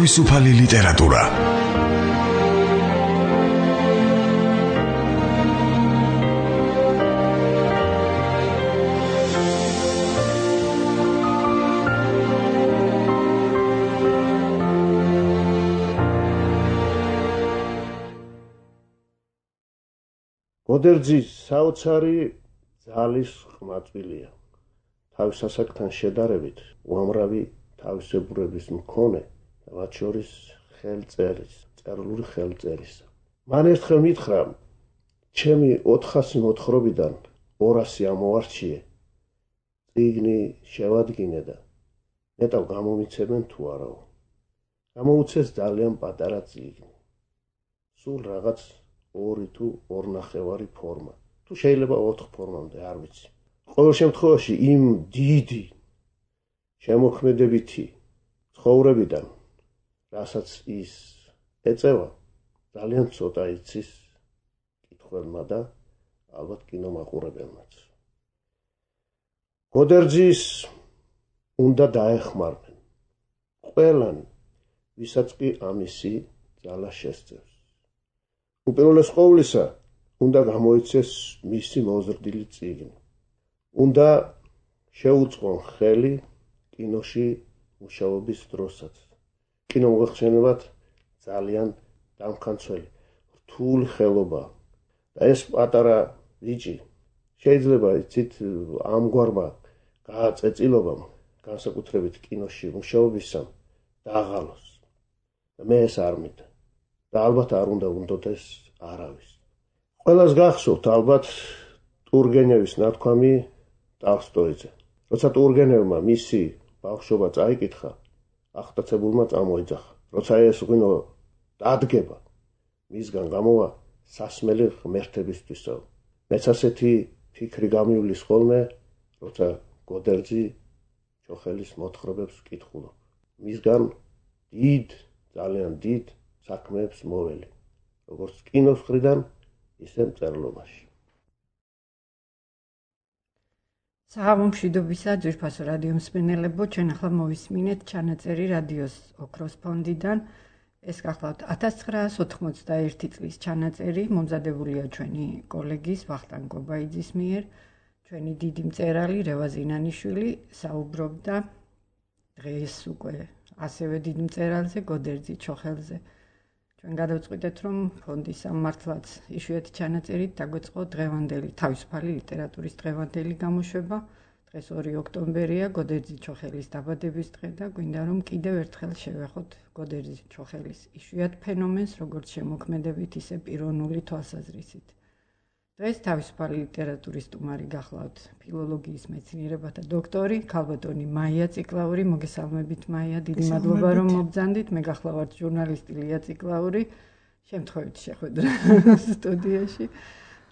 თავისუფალი ლიტერატურა. გოდერძის საოცარი ძალის ყმაწვილია. თავის ასაკთან შედარებით უამრავი თავისებურების მქონე და მათ შორის წერილური ხელწერისა. მან ერთხელ მითხრა, ჩემი 400 მოთხრობიდან 200 ამოვარჩიე, წიგნი შევადგინე და ნეტავ გამომიცემენ თუ არაო. გამოუცეს ძალიან პატარა წიგნი. სულ რაღაც 2 თუ 2.5 ფორმა. თუ შეიძლება 4 ფორმამდე, არ ვიცი. ყოველ შემთხვევაში იმ დიდი შემოქმედებითი ცხოვრებიდან, რასაც ის ეწევა, ძალიან ცოტა იცის კითხველმა და ალბათ კინომაყურებელმაც. გოდერძის უნდა დაეხმარნენ ყველანი, ვისაც კი ამისი ძალა შესწევს. უპირველეს ყოვლისა, უნდა გამოიცეს მისი მოზრდილი წიგნი. უნდა შეუწყონ ხელი კინოში მუშაობის დროსაც. კინომოხსენებად ძალიან დამქანცველი, რთული ხელობა. და ეს პატარა ბიჭი შეიძლება იცით ამგვარმა გააწეწილობამ, განსაკუთრებით კინოში მუშაობისამ დაღალოს. და მე ეს არ მინდა. და ალბათ არ უნდა უნდოდეს არავის. ყველას გახსოვთ ალბათ ტურგენევის ნათქვამი ტოლსტოიზე. როცა ტურგენევმა მისი ბავშვობა წაიკითხა, აღტაცებულმა წამოიძახა. როცა ეს ღვინო დადგება, მისგან გამოვა სასმელი ღმერთებისთვისო. მეც ასეთი ფიქრი გამივლის ხოლმე, როცა გოდერძი ჩოხელის მოთხრობებს ვკითხულობ. მისგან ძალიან დიდ საქმეებს მოველი, როგორც კინოს მხრიდან, ისე მწერლობაში. საღამო მშვიდობისა, ძვირფასო რადიო მსმენელებო, ჩვენ ახლა მოვისმინეთ ჩანაწერი რადიოს ოქროს ფონდიდან. ეს გახლავთ 1991 წლის ჩანაწერი, მომზადებულია ჩვენი კოლეგის ვახტანგ გობაიძის მიერ. ჩვენი დიდი მწერალი რევაზ ინანიშვილი საუბრობდა დღეს უკვე ასევე დიდ მწერალზე, გოდერძი ჩოხელზე. ჩვენ გადავწყვიტეთ, რომ ფონდის სამმართლაც იშვიათი ჩანაწერით დაგვეწყო დღევანდელი თავისუფალი ლიტერატურის დღევანდელი გამოშვება. დღეს 2 ოქტომბერია, გოდერძი ჩოხელის დაბადების დღე და გვინდა რომ კიდევ ერთხელ შევეხოთ გოდერძი ჩოხელის იშვიათ ფენომენს, როგორც შემოქმედებით, ისე პიროვნული თვალსაზრისით. დღეს თავისუფალი ლიტერატურის სტუმარი გახლავთ ფილოლოგიის მეცნიერებათა დოქტორი, ქალბატონი მაია ციკლაური. მოგესალმებით მაია, დიდი მადლობა რომ მობრძანდით. მე გახლავართ ჟურნალისტი ლია ციკლაური. შემთხვევით შეხვედრა სტუდიაში.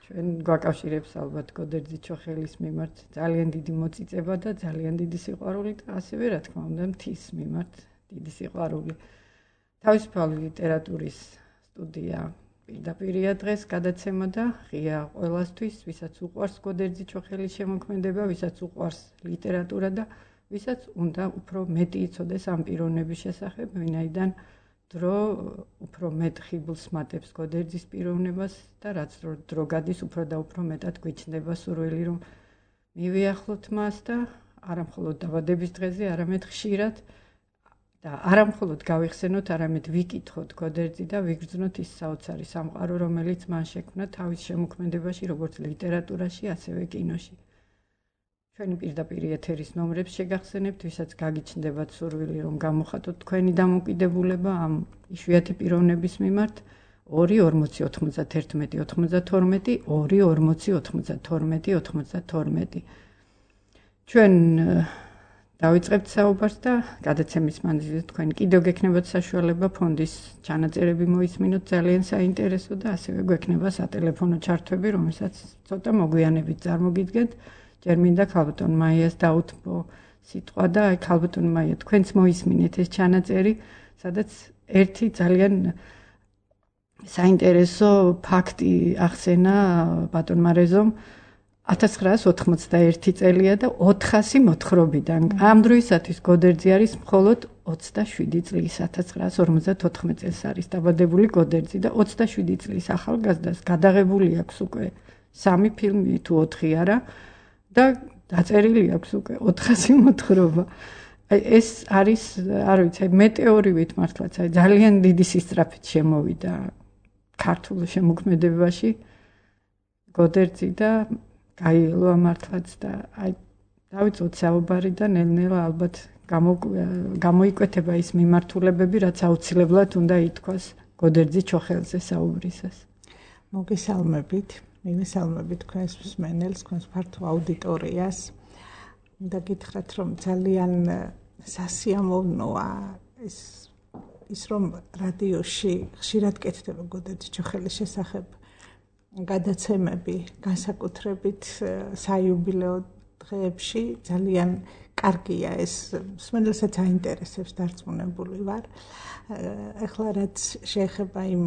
ჩვენ გვაკავშირებს ალბათ გოდერძი ჩოხელის მიმართ ძალიან დიდი მოწიწება და ძალიან დიდი სიყვარული და ასევე რა თქმა უნდა მთის მიმართ დიდი სიყვარული. თავისუფალი ლიტერატურის სტუდია პირდაპირია დღეს გადაცემა და ღია ყველასთვის, ვისაც უყვარს გოდერძი ჩოხელის შემოქმედება, ვისაც უყვარს ლიტერატურა და ვისაც უნდა უფრო მეტი იცოდეს ამ პიროვნების შესახებ, ვინაიდან დრო უფრო მეტ ხიბლს მატებს გოდერძის პიროვნებას და რაც დრო გადის, უფრო და უფრო მეტად გვიჩნდება სურვილი, რომ მივიახლოთ მას და არა მხოლოდ დაბადების დღეზე, არამედ ხშირად და არა მხოლოდ გავიხსენოთ, არამედ ვიკითხოთ გოდერძი და ვიგრძნოთ ის საოცარი სამყარო, რომელიც მან შექმნა თავის შემოქმედებაში, როგორც ლიტერატურაში, ასევე კინოში. ჩვენი პირდაპირ ეთერის ნომრებს შეგახსენებთ, ვისაც გაგიჩნდებათ სურვილი, რომ გამოხატოთ თქვენი დამოკიდებულება ამ იშვიათი პიროვნების მიმართ. 2-40-91-92 2-40-92 ჩვენ დავიწყებთ საუბარს და გადაცემის მანძილზე თქვენ კიდევ გექნებათ საშუალება ფონდის ჩანაწერები მოისმინოთ, ძალიან საინტერესო და ასევე გვექნება სატელეფონო ჩართვები, რომელსაც ცოტა მოგვიანებით წარმოგიდგენთ. ჯერ მინდა ქალბატონ მაიას დაუთმო სიტყვა და აი ქალბატონ მაია, თქვენც მოისმინეთ ეს ჩანაწერი, სადაც ერთი ძალიან საინტერესო ფაქტი ახსენა ბატონმა რეზომ, 1991 წელია და 400 მოთხრობიდან. ამ დროისათვის გოდერძი არის მხოლოდ 27 წლის, 1954 წელს არის დაბადებული გოდერძი და 27 წლის ახალგაზრდას გადაღებული აქვს უკვე 3 ფილმი თუ 4 არა და დაწერილი აქვს უკვე 400 მოთხრობა. ეს არის, არ ვიცი, მეტეორივით მართლაც ძალიან დიდი სისწრაფით შემოვიდა ქართულ შემოქმედებაში გოდერძი და გაიელოა მართლაც და დავიწყოთ საუბარი და ნელ-ნელა ალბათ გამოიკვეთება ის მიმართულებები, რაც აუცილებლად უნდა ითქვას გოდერძი ჩოხელზე საუბრისას. მოგესალმებით, მივესალმებით თქვენს მსმენელს, თქვენს ფართო აუდიტორიას. და გითხრათ, რომ ძალიან სასიამოვნოა ის რომ რადიოში ხშირად კეთდება გოდერძი ჩოხელის შესახებ გადაცემები, განსაკუთრებით საიუბილეო დღეებში. ძალიან კარგია ეს, მსმენელსაც აინტერესებს, დარწმუნებული ვარ. ეხლა რაც შეეხება იმ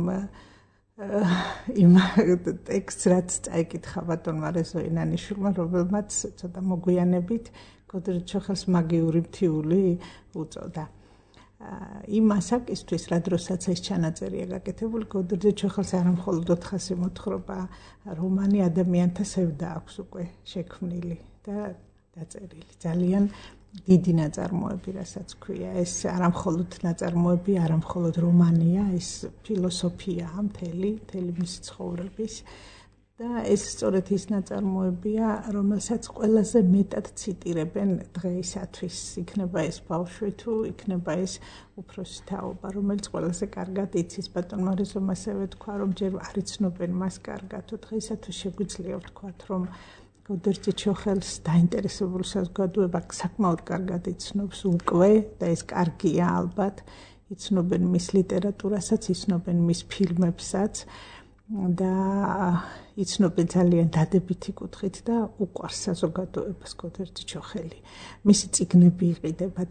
ტექსტს, რაც წაიკითხა ბატონმა რეზო ინანიშვილმა, რომელმაც ცოტა მოგვიანებით გოდერძი ჩოხელს მაგიური მთიული უწოდა. იმ ასაკისთვის, რა დროსაც ეს ჩანაწერია გაკეთებული, გოდერძი ჩოხელს არა მხოლოდ 400 მოთხრობა, რომანი, ადამიანთა სევდა აქვს უკვე შექმნილი და დაწერილი. ძალიან დიდი ნაწარმოები, რასაც ქვია. ეს არა მხოლოდ ნაწარმოები, არა მხოლოდ რომანია, ეს ფილოსოფიაა მთელი მისი ცხოვრების. და ეს სწორედ ის ნაწარმოებია, რომელსაც ყველაზე მეტად ციტირებენ დღეისათვის. იქნება ეს ბავშვი თუ იქნება ეს უფროსი თაობა, რომელიც ყველაზე კარგად იცის. ბატონმა რეზომ ასევე თქვა, რომ ჯერ არ იცნობენ მას კარგად. დღეისათვის შეგვიძლია ვთქვათ, რომ გოდერძი ჩოხელს დაინტერესებული საზოგადოება საკმაოდ კარგად იცნობს უკვე და ეს კარგია ალბათ. იცნობენ მის ლიტერატურასაც, იცნობენ მის ფილმებსაც და იცნობენ ძალიან დადებითი კუთხით და უყვარს საზოგადოებას გოდერძი ჩოხელი. მისი წიგნები იყიდება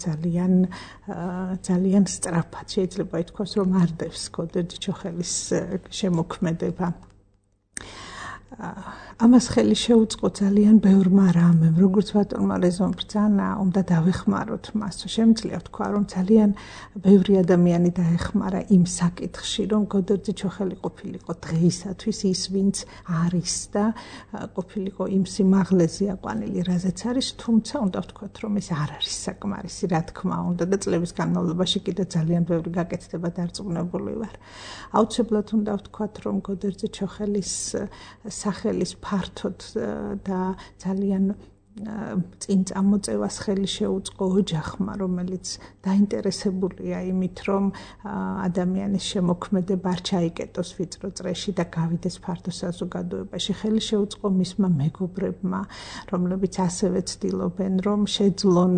ძალიან სწრაფად. შეიძლება ითქვას, რომ არდევს გოდერძი ჩოხელის შემოქმედება. ამას ხელი შეუწყო ძალიან ბევრმა რამემ, როგორც ბატონმა რეზომ ბრძანა, უნდა დავეხმაროთ მას. შემიძლია ვთქვა, რომ ძალიან ბევრი ადამიანი დაეხმარა იმ საკითხში, რომ გოდერძი ჩოხელი ყოფილიყო დღეისათვის ის, ვინც არის და ყოფილიყო იმ სიმაღლეზე აყვანილი, რაზეც არის, თუმცა უნდა ვთქვათ, რომ ეს არ არის საკმარისი, რა თქმა უნდა და წლების განმავლობაში კიდე ძალიან ბევრი გაკეთდება, დარწმუნებული ვარ. აუცილებლად უნდა ვთქვათ, რომ გოდერძი ჩოხელის სახელის ფართოდ და ძალიან წინ წამოწევას ხელი შეუწყო ოჯახმა, რომელიც დაინტერესებულია იმით, რომ ადამიანის შემოქმედება არ ჩაიკეტოს ვიწრო წრეში და გავიდეს ფართო საზოგადოებაში. ხელი შეუწყო მისმა მეგობრებმა, რომლებიც ასევე ცდილობენ, რომ შეძლონ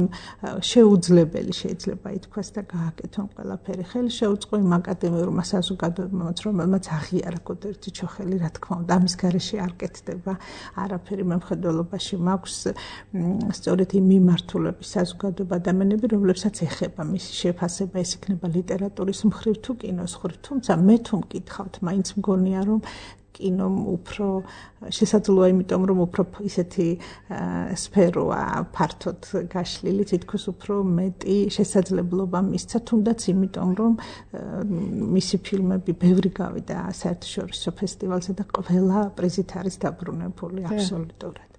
შეუძლებელი შეიძლება ითქვას და გააკეთონ ყველაფერი. ხელი შეუწყო იმ აკადემიურმა საზოგადოებამ, რომელმაც აღიარა გოდერძი ჩოხელი, რა თქმა უნდა, ამის გარეშე არ კეთდება არაფერი. მემხედველობაში მაქვს სწორედ იმ მიმართულების საზოგადოება ადამიანები, რომლებსაც ეხება მისი შეფასება, ეს იქნება ლიტერატურის მხრივ თუ კინოს მხრივ. თუმცა მე თუ მკითხავთ, მაინც მგონია, რომ კინომ უფრო შესაძლოა, იმიტომ რომ უფრო ისეთი სფეროა ფართოდ გაშლილი, თითქოს უფრო მეტი შესაძლებლობა მისცა, თუნდაც იმიტომ რომ მისი ფილმები ბევრი გავიდა საერთაშორისო ფესტივალზე და ყველა პრიზით არის დაბრუნებული აბსოლუტურად.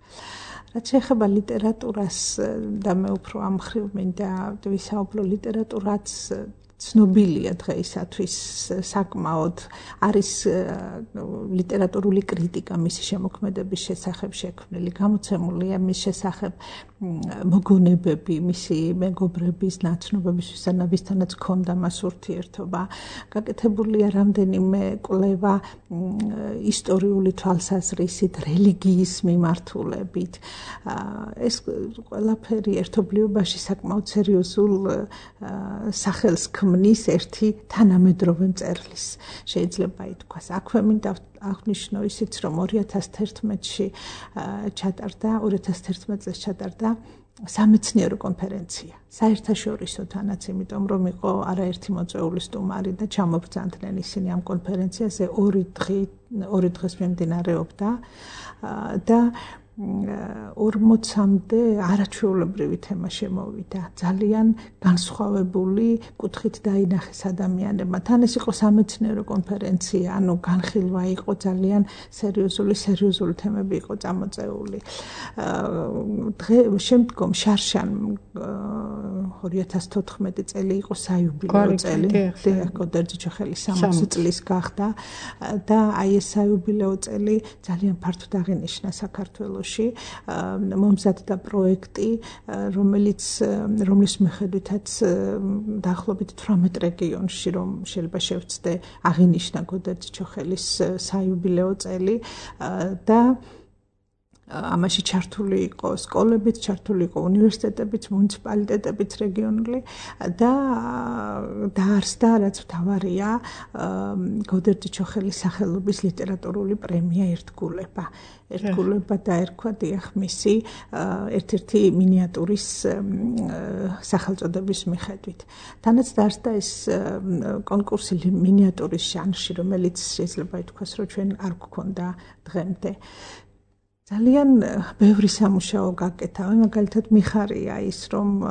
რაც შეეხება ლიტერატურას და მე უფრო ამ მხრივ მინდა ვისაუბრო, ლიტერატურაც ცნობილია დღეისათვის საკმაოდ, არის ლიტერატურული კრიტიკა მისი შემოქმედების შესახებ შექმნილი, გამოცემულია მის შესახებ მოგონებები, მისი მეგობრების ნაცნობების ვისთანაც ჰქონდა მას ურთიერთობა. გაკეთებულია რამდენიმე კვლევა ისტორიული თვალსაზრისით, რელიგიის მიმართულებით. ეს ყველაფერი ერთობლიობაში საკმაოდ სერიოზულ სახელს ქმნის ერთი თანამედროვე მწერლის, შეიძლება ითქვას. აქვე მინდა აღნიშნო ისიც, რომ 2011 წელს ჩატარდა სამეცნიერო კონფერენცია, საერთაშორისო თანაც, იმიტომ რომ იყო არაერთი მოწვეული სტუმარი და ჩამობრძანდნენ ისინი ამ კონფერენციაზე, 2 დღეს მიმდინარეობდა და 40-მდე არაჩვეულებრივი თემა შემოვიდა. ძალიან განსხვავებული კუთხით დაინახეს ადამიანებმა. თან ეს იყო სამეცნიერო კონფერენცია, ანუ განხილვა იყო ძალიან სერიოზული თემები იყო წამოწეული. შემდგომ შარშან 2014 წელი იყო საიუბილეო წელი. გოდერძი-ჩოხელის 60 წლის გახდა და აი ეს საიუბილეო წელი ძალიან ფართოდ აღინიშნა საქართველოში. მომზადდა პროექტი, რომლის მიხედვითაც დაახლოებით 18 რეგიონში რომ შეიძლება შევცდე აღინიშნა გოდერძი-ჩოხელის საიუბილეო წელი და ამაში ჩართული იყო სკოლებიც, ჩართული იყო უნივერსიტეტებიც, მუნიციპალიტეტებიც რეგიონული და დაარსდა, რაც მთავარია, გოდერძი-ჩოხელის სახელობის ლიტერატურული პრემია ერთგულება. ერთგულება დაერქვა დიახ მისი ერთ-ერთი მინიატურის სახელწოდების მიხედვით. თანაც დაარსდა ეს კონკურსი მინიატურის ჟანრში, რომელიც შეიძლება ითქვას, რომ ჩვენ არ გვქონდა დღემდე. ძალიან ბევრი სამუშაო გაკეთა, მაგალითად მიხარია ის, რომ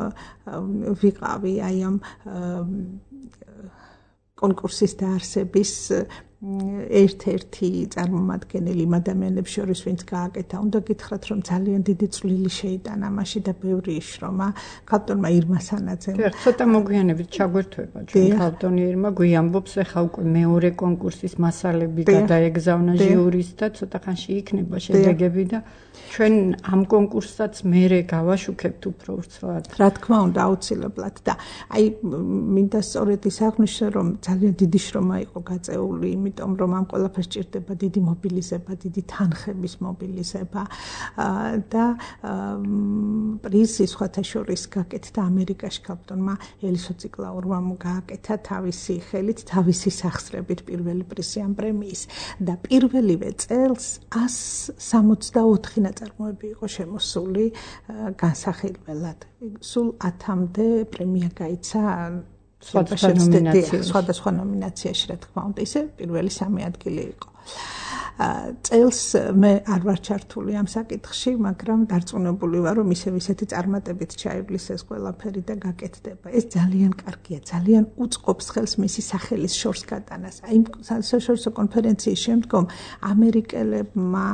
ვიყავი აი ამ კონკურსის დაარსების ერთ-ერთი წარმომადგენელი იმ ადამიანებს შორის, ვინც გააკეთა. უნდა გითხრათ, რომ ძალიან დიდი წვლილი შეიტანა ამაში და ბევრი იშრომა ქალბატონმა ირმა სანაძემ. ცოტა მოგვიანებით ჩაგვერთვება ჩვენ ქალბატონი ირმა გვიამბობს, ახლა უკვე მეორე კონკურსის მასალები გადაეგზავნა ჟიურის და ცოტა ხანში იქნება შედეგები და ჩვენ ამ კონკურსსაც მერე გავაშუქებთ უფრო ვრცლად. რა თქმა უნდა, აუცილებლად და აი მინდა სწორედ ის აღვნიშნო, რომ ძალიან დიდი შრომა იყო გაწეული, იმიტომ რომ ამ ყველაფერს ჭირდება დიდი მობილიზება, დიდი თანხების მობილიზება და პრიზი სხვათა შორის გაკეთდა ამერიკაში ქალბატონმა ელისო ციკლაურმა გააკეთა თავისი ხელით, თავისი სახსრებით პირველი პრიზი ამ პრემიის და პირველივე წელს 164 ნაწარმოები იყო შემოსული განსახილველად. სულ 10-მდე პრემია გაიცა სხვადასხვა ნომინაციაში, რა თქმა უნდა, ისე პირველი 3 ადგილი იყო. წელს მე არ ვარ ჩართული ამ საკითხში, მაგრამ დარწმუნებული ვარ, რომ ისეთი წარმატებით ჩაივლის ეს ყველაფერი და გაკეთდება. ეს ძალიან კარგია, ძალიან უწყობს ხელს მისი სახელის შორს გატანას. აი საერთაშორისო კონფერენციის შემდგომ ამერიკელებმა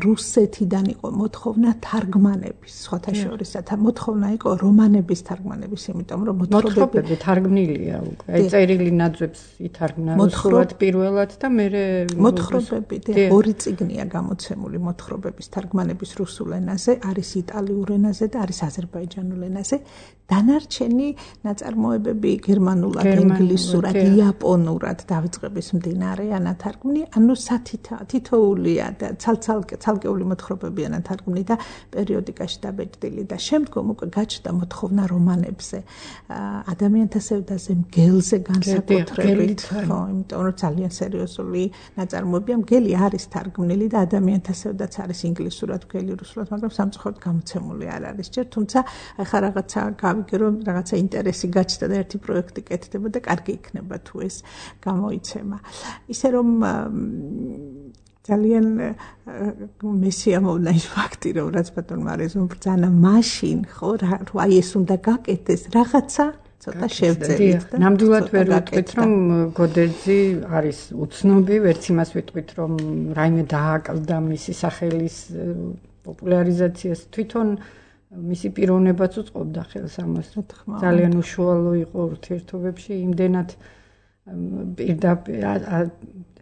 რუსეთიდან იყო მოთხოვნა თარგმანების, სხვათა შორის მოთხოვნა იყო რომანების თარგმანების, იმიტომ რომ მოთხრობები თარგმნილია უკვე. აი წერილი ნაძვებს ითარგმნა რუსულად პირველად და მერე ორი წიგნია გამოცემული მოთხრობების თარგმანების რუსულ ენაზე, არის იტალიურ ენაზე და არის აზერბაიჯანულ ენაზე. დანარჩენი ნაწარმოებები გერმანულად, ინგლისურად, იაპონურად დავიწყების მდინარეა ნათარგმნი, ანუ თითოეულია და ცალკეული მოთხრობებია ნათარგმნი და პერიოდიკაში დაბეჭდილი და შემდგომ უკვე გაჩნდა მოთხოვნა რომანებზე, ადამიანთა სევდაზე, მგელზე განსაკუთრებით, ხო, იმიტომ რომ ძალიან სერიოზული ნაწარმოებია. მგელი არის თარგმნილი და ადამიანთა სევდაც არის ინგლისურად, მგელი რუსულად, მაგრამ სამწუხაროდ გამოცემული არ არის ჯერ, თუმცა ახლა რაღაცა გავიგე, რომ რაღაცა ინტერესი გაჩნდა და ერთი პროექტი კეთდება და კარგი იქნება თუ ეს გამოიცემა. ისე რომ ძალიან მესიამოვნა ის ფაქტი, რომ რაც ბატონმა არეზომ ბრძანა მაშინ, ხო, აი ეს უნდა გაკეთდეს რაღაცა ცოტა შევძელით და ნამდვილად ვერ ვიტყვით, რომ გოდერძი არის უცნობი, ვერც იმას ვიტყვით, რომ რაიმე დააკლდა მისი სახელის პოპულარიზაციას, თვითონ მისი პიროვნებაც უწყობდა ხელს ამას. ძალიან უშუალო იყო ურთიერთობებში, იმდენად პირდაპირ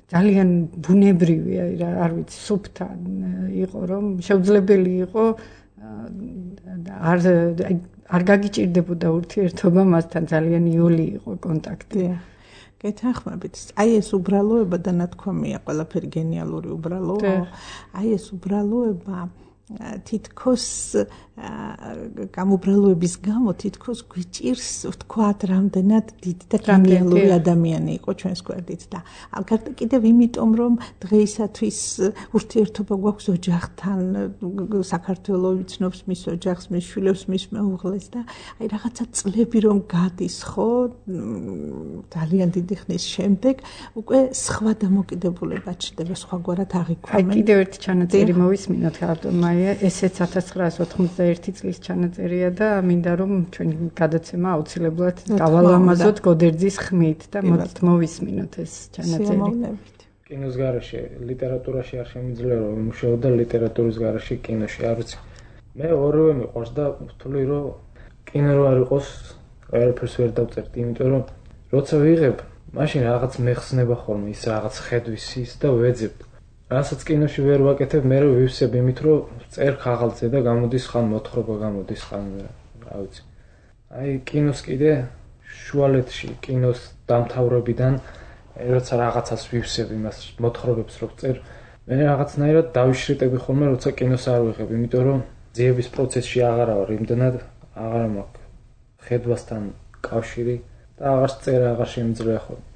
ძალიან ბუნებრივი, არ ვიცი, სუფთან იყო, რომ შეუძლებელი იყო არ გაგიჭირდებოდა ურთიერთობა მასთან, ძალიან იოლი იყო კონტაქტი. გეთანხმებით. აი ეს უბრალოება და ნათქვამია, ყველაფერი გენიალური უბრალოა. აი ეს უბრალოება თითქოს გამობრალოების გამო თითქოს გვიჭირს ვთქვათ რამდენად დიდი და გენიალური ადამიანი იყო ჩვენს გვერდით და ალბათ კიდევ იმიტომ რომ დღეისათვის ურთიერთობა გვაქვს ოჯახთან საქართველო ვიცნობს მის ოჯახს მის შვილებს მის მეუღლეს და აი რაღაცა წლები რომ გადის ხო ძალიან დიდი ხნის შემდეგ უკვე სხვა დამოკიდებულება ჩნდება სხვაგვარად აღიქვამენ აი კიდევ ერთი ჩანაწერი მოვისმინოთ ავტომაია ესეც 1991 წლის ჩანაწერია და მინდა რომ ჩვენი გადაცემა აუცილებლად გავალამაზოთ გოდერძის ხმით და მოდით მოვისმინოთ ეს ჩანაწერი. კინოს გარეშე ლიტერატურაში არ შემიძლია რომ ვიმუშაო და ლიტერატურის გარეშე კინოში არ ვიცი. მე ორივე მიყვარს და ვთვლი რომ კინო რო არ იყოს ყველაფერს ვერ დავწერდი, იმიტომ რომ როცა ვიღებ, მაშინ რაღაც მეხსნება ხოლმე ის რაღაც ხედვის ის და ვეძებ. რასაც კინოში ვერ ვაკეთებ, მე რო ვივსებ იმით რომ წერ ხაღალზე და გამოდის ხან მოთხრობა გამოდის ხან რა ვიცი. აი კინოს კიდე შუალედში კინოს დამთავრებიდან როცა რაღაცას ვივსებ იმას მოთხრობებს რო წერ, მე რაღაცნაირად დავიშრიტები ხოლმე როცა კინოს არ ვიღებ, იმიტომ რომ ძიების პროცესში აღარა ვარ, იმდენად აღარ მაქვს ხედვასთან კავშირი და აღარ წერა აღარ შემიძლია ხოლმე.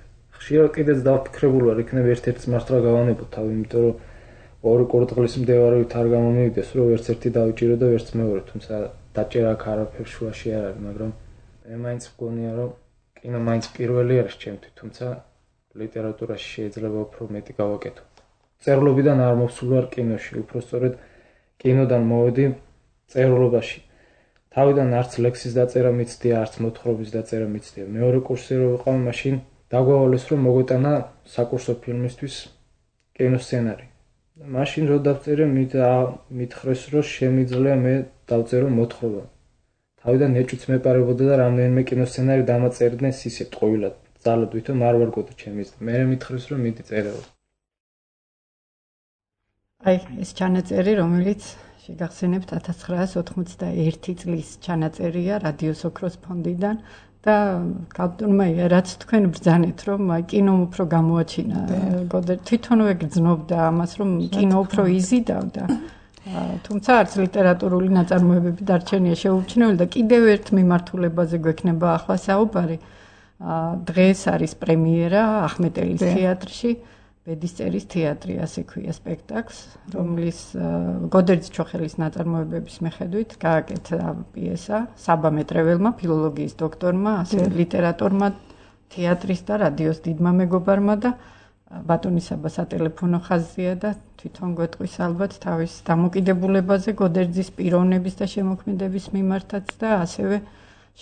ხშირად კიდეც დავფიქრებული ვარ, იქნებ ერთ-ერთი მართლა გავანებო თავი, იმიტომ რომ ორი კურდღლის მდებარეობით არ გამომივიდეს, რომ ვერც ერთი დავიჭირო და ვერც მეორე, თუმცა დაჭერა აქ არაფერ შუაში არ არის, მაგრამ მე მაინც მგონია, რომ კინო მაინც პირველი არის ჩემთვის, თუმცა ლიტერატურაში შეიძლება უფრო მეტი გავაკეთო. წერლობიდან არ მოვსულ ვარ კინოში, უფრო სწორედ კინოდან მოვედი წერლობაში. თავიდან არც ლექსის დაწერა მიცდია, არც მოთხრობის დაწერა მიცდია. მეორე კურსი რო ვიყავ, მაშინ დაგვავალეს რომ მოგვეტანა საკურსო ფილმისთვის კინოსცენარი. მაშინ რო დავწერე, მითხრეს რომ შემიძლია მე დავწერო მოთხრობა. თავიდან ეჭვიც მეპარებოდა და რამდენიმე კინოსცენარი დამაწერიდნენ ისე ტყუილად, ძალად ვითომ არ ვარგოდა ჩემი და მე მითხრეს რომ მიდი წერეო. აი ეს ჩანაწერი, რომელიც შეგახსენებთ 1991 წლის ჩანაწერია რადიოს ოქროს ფონდიდან და კაპტონმა რაც თქვენ ბრძანეთ რომ კინომ უფრო გამოაჩინა თვითონვე გრძნობდა ამას რომ კინო უფრო იზიდავდა თუმცა არც ლიტერატურული ნაწარმოებები დარჩენია შეუჩინებელი და კიდევ ერთ მიმართულებაზე გვექნება ახლა საუბარი დღეს არის პრემიერა ახმეტელის თეატრში ბედისწერის თეატრი ასე ქვია სპექტაკლს რომლის გოდერძი ჩოხელის ნაწარმოებების მიხედვით გააკეთა პიესა საბა მეტრეველმა ფილოლოგიის დოქტორმა ასე ლიტერატორმა თეატრის და რადიოს დიდმა მეგობარმა და ბატონი საბა სატელეფონო ხაზია და თვითონ გვეტყვის ალბათ თავის დამოკიდებულებაზე გოდერძის პიროვნების და შემოქმედების მიმართაც და ასევე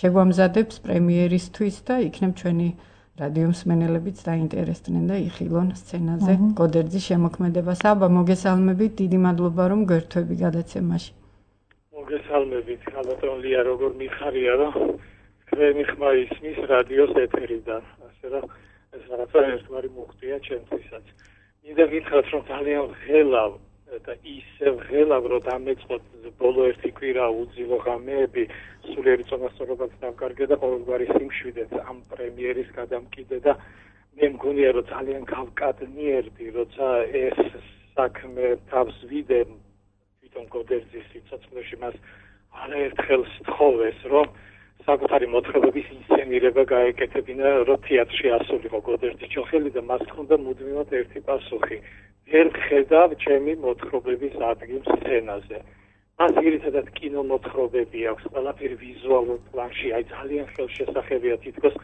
შეგვამზადებს პრემიერისთვის და იქნებ ჩვენი რადიო მსმენელებიც დაინტერესდნენ და იხილონ სცენაზე გოდერძის შემოქმედებას. აბა მოგესალმებით, დიდი მადლობა რომ გვერთვები გადაცემაში. მოგესალმებით, ალბათ ლია როგორ მიხარია რომ თქვენი ხმა ისმის რადიოს ეთერიდან. ასე რომ ეს რაღაცა ერთგვარი მუხტია ჩემთვისაც. მინდა გითხრათ რომ ძალიან ღელავ და ისევ ღელავ რომ დამეწყოთ ბოლო ერთი კვირა უძილო ღამეები სულიერი წონასწორობაც დავკარგე და ყოველგვარი სიმშვიდეც ამ პრემიერის გადამკიდე და მე მგონია რომ ძალიან გავკადნიერდი როცა ეს საქმე თავს ვიდე თვითონ გოდერძის სიცოცხლეში მას არაერთხელ სთხოვეს რომ საკუთარი მოთხრობების ინსცენირება გაეკეთებინა რომ თეატრში ასულიყო გოდერძი ჩოხელი და მას ჰქონდა მუდმივად ერთი პასუხი ვერ ხედავ ჩემი მოთხრობების ადგილს სცენაზე. მას ძირითადად კინომოთხრობები აქვს, ყველაფერი ვიზუალურ პლანში, აი ძალიან ხელშესახებია თითქოს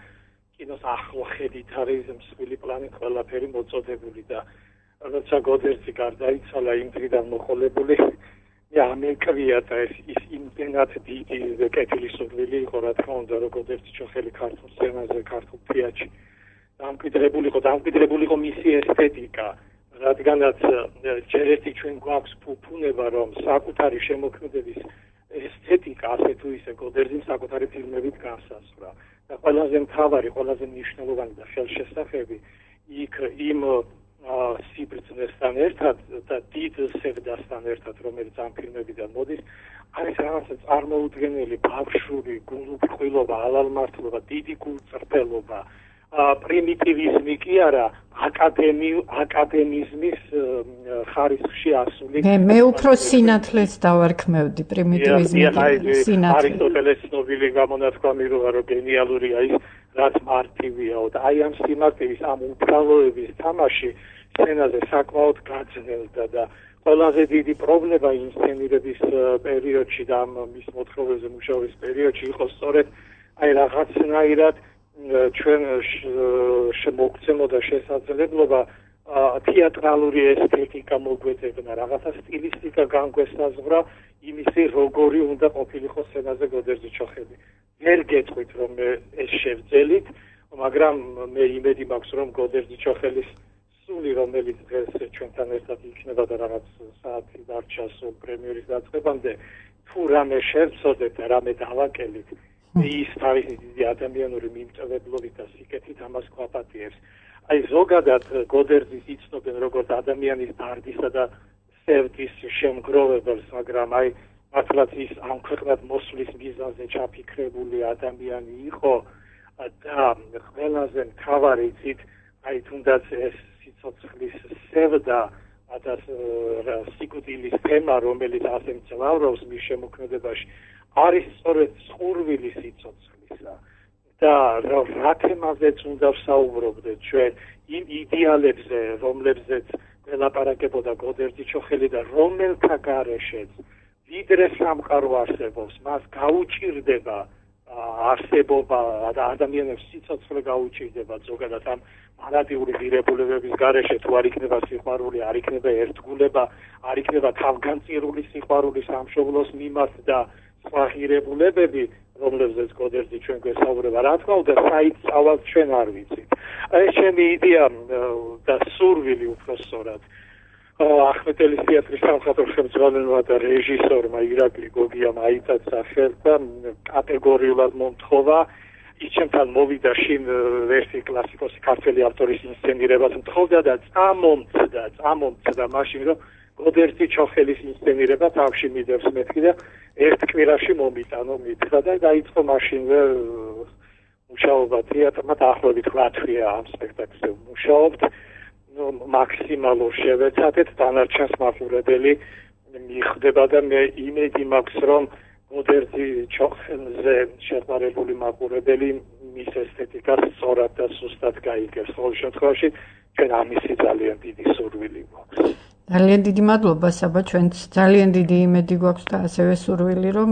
კინოს ახლო ხედით არის მსხვილი პლანით ყველაფერი მოწოდებული და როცა გოდერძი გარდაიცვალა იმ დღიდან მოყოლებული, მე ამეკრია და ის იმდენად დიდი კეთილისურვილი იყო, რა თქმა უნდა, რომ გოდერძი ჩოხელი ქართულ სცენაზე, ქართულ თეატრში დამკვიდრებული იყო მისი ესთეტიკა. რადგანაც ჯერ ერთი ჩვენ გვაქვს ფუფუნება რომ საკუთარი შემოქმედების ესთეტიკა ასე თუ ისე გოდერძიმ საკუთარი ფილმებით განსაზღვრა და ყველაზე მთავარი, ყველაზე მნიშვნელოვანი და ხელშესახები იქ იმ სიბრძნესთან ერთად და დიდ სევდასთან ერთად რომელიც ამ ფილმებიდან მოდის არის რაღაცა წარმოუდგენელი ბავშვური გულუფრხილობა, ალალმართლობა, დიდი გულწრფელობა პრიმიტივიზმი კი არა, აკადემიზმის ხარისხში ასული. მე უფრო სინათლეს დავარქმევდი პრიმიტივიზმი. არისტოტელეს ცნობილი გამონათქვამი რომ გენიალურია ის, რაც მარტივიაო და აი ამ სიმარტივის, ამ უბრალოების თამაში სცენაზე საკმაოდ გაძნელდა და ყველაზე დიდი პრობლემა ინსცენირების პერიოდში და ამ მის მოთხრობებზე მუშაობის პერიოდში იყო სწორედ აი რაღაცნაირად ჩვენ შემოგცემოდა შესაძლებლობა თეატრალური ესთეტიკა მოგვეძებნა, რაღაცა სტილისტიკა განგვესაზღვრა იმისი, როგორი უნდა ყოფილიყო სცენაზე გოდერძი-ჩოხელი. ვერ გეტყვით, რომ ეს შევძელით, მაგრამ მე იმედი მაქვს, რომ გოდერძი-ჩოხელის სული, რომელიც დღეს ჩვენთან ერთად იქნება და რაღაც საათი დარჩა სულ პრემიერის დაწყებამდე, თუ რამე შევცოდეთ და რამე დავაკელით, ის თავისი დიდი ადამიანური მიმტვებლობით და სიკეთით ამას გვაპატიებს. აი ზოგადად გოდერძის იცნობენ როგორც ადამიანის დარდისა და სევდის შემგროვებელს, მაგრამ აი მართლაც ის ამ ქვეყნად მოსვლის მიზანზე ჩაფიქრებული ადამიანი იყო და ყველაზე მთავარი იცით, აი თუნდაც ეს სიცოცხლის სევდა და სიკვდილის თემა, რომელიც ასე მძლავრობს მის შემოქმედებაში, არის სწორედ სხურვილი სიცოცხლისა და რა თემაზეც უნდა ვსაუბრობდეთ ჩვენ იმ იდეალებზე, რომლებზეც ველაპარაკებოდა გოდერძი-ჩოხელი და რომელთა გარეშეც ვიდრე სამყარო არსებობს, მას გაუჭირდება არსებობა და ადამიანებს სიცოცხლე გაუჭირდება ზოგადად ამ მანატიური ღირებულებების გარეშე, თუ არ იქნება სიყვარული, არ იქნება ერთგულება, არ იქნება თავგანწირული სიყვარული სამშობლოს მიმართ და სხვა ღირებულებები, რომლებზეც გოდერძი ჩვენ გვესაუბრება, რა თქმა უნდა, საით სწავლად ჩვენ არ ვიცით. ეს ჩემი იდეა და სურვილი უფრო სწორად ახმეტელის თეატრის სამხატვრო ხელმძღვანელმა და რეჟისორმა ირაკლი გოგიამ აიტაცა ხელს და კატეგორიულად მომთხოვა ის ჩემთან მოვიდა შინ ვერსი კლასიკოსი ქართველი ავტორის ინსცენირებას მთხოვდა და წამომწდა მაშინ რომ გოდერძი-ჩოხელის ინსცენირება თავში მიდევს მეთქი და ერთ კვირაში მომიტანო მითხრა და დაიწყო მაშინვე მუშაობა თეატრმა დაახლოებით 8 თვეა ამ სპექტაკლზე მუშაობთ. მაქსიმალურ შევეცადეთ, დანარჩენს მაყურებელი მიხვდება და მე იმედი მაქვს, რომ გოდერძი-ჩოხელზე შეყვარებული მაყურებელი მის ესთეტიკას სწორად და სუსტად გაიგებს. ყოველ შემთხვევაში ჩვენ ამისი ძალიან დიდი სურვილი გვაქვს. ძალიან დიდი მადლობა საბა, ჩვენც ძალიან დიდი იმედი გვაქვს და ასევე სურვილი, რომ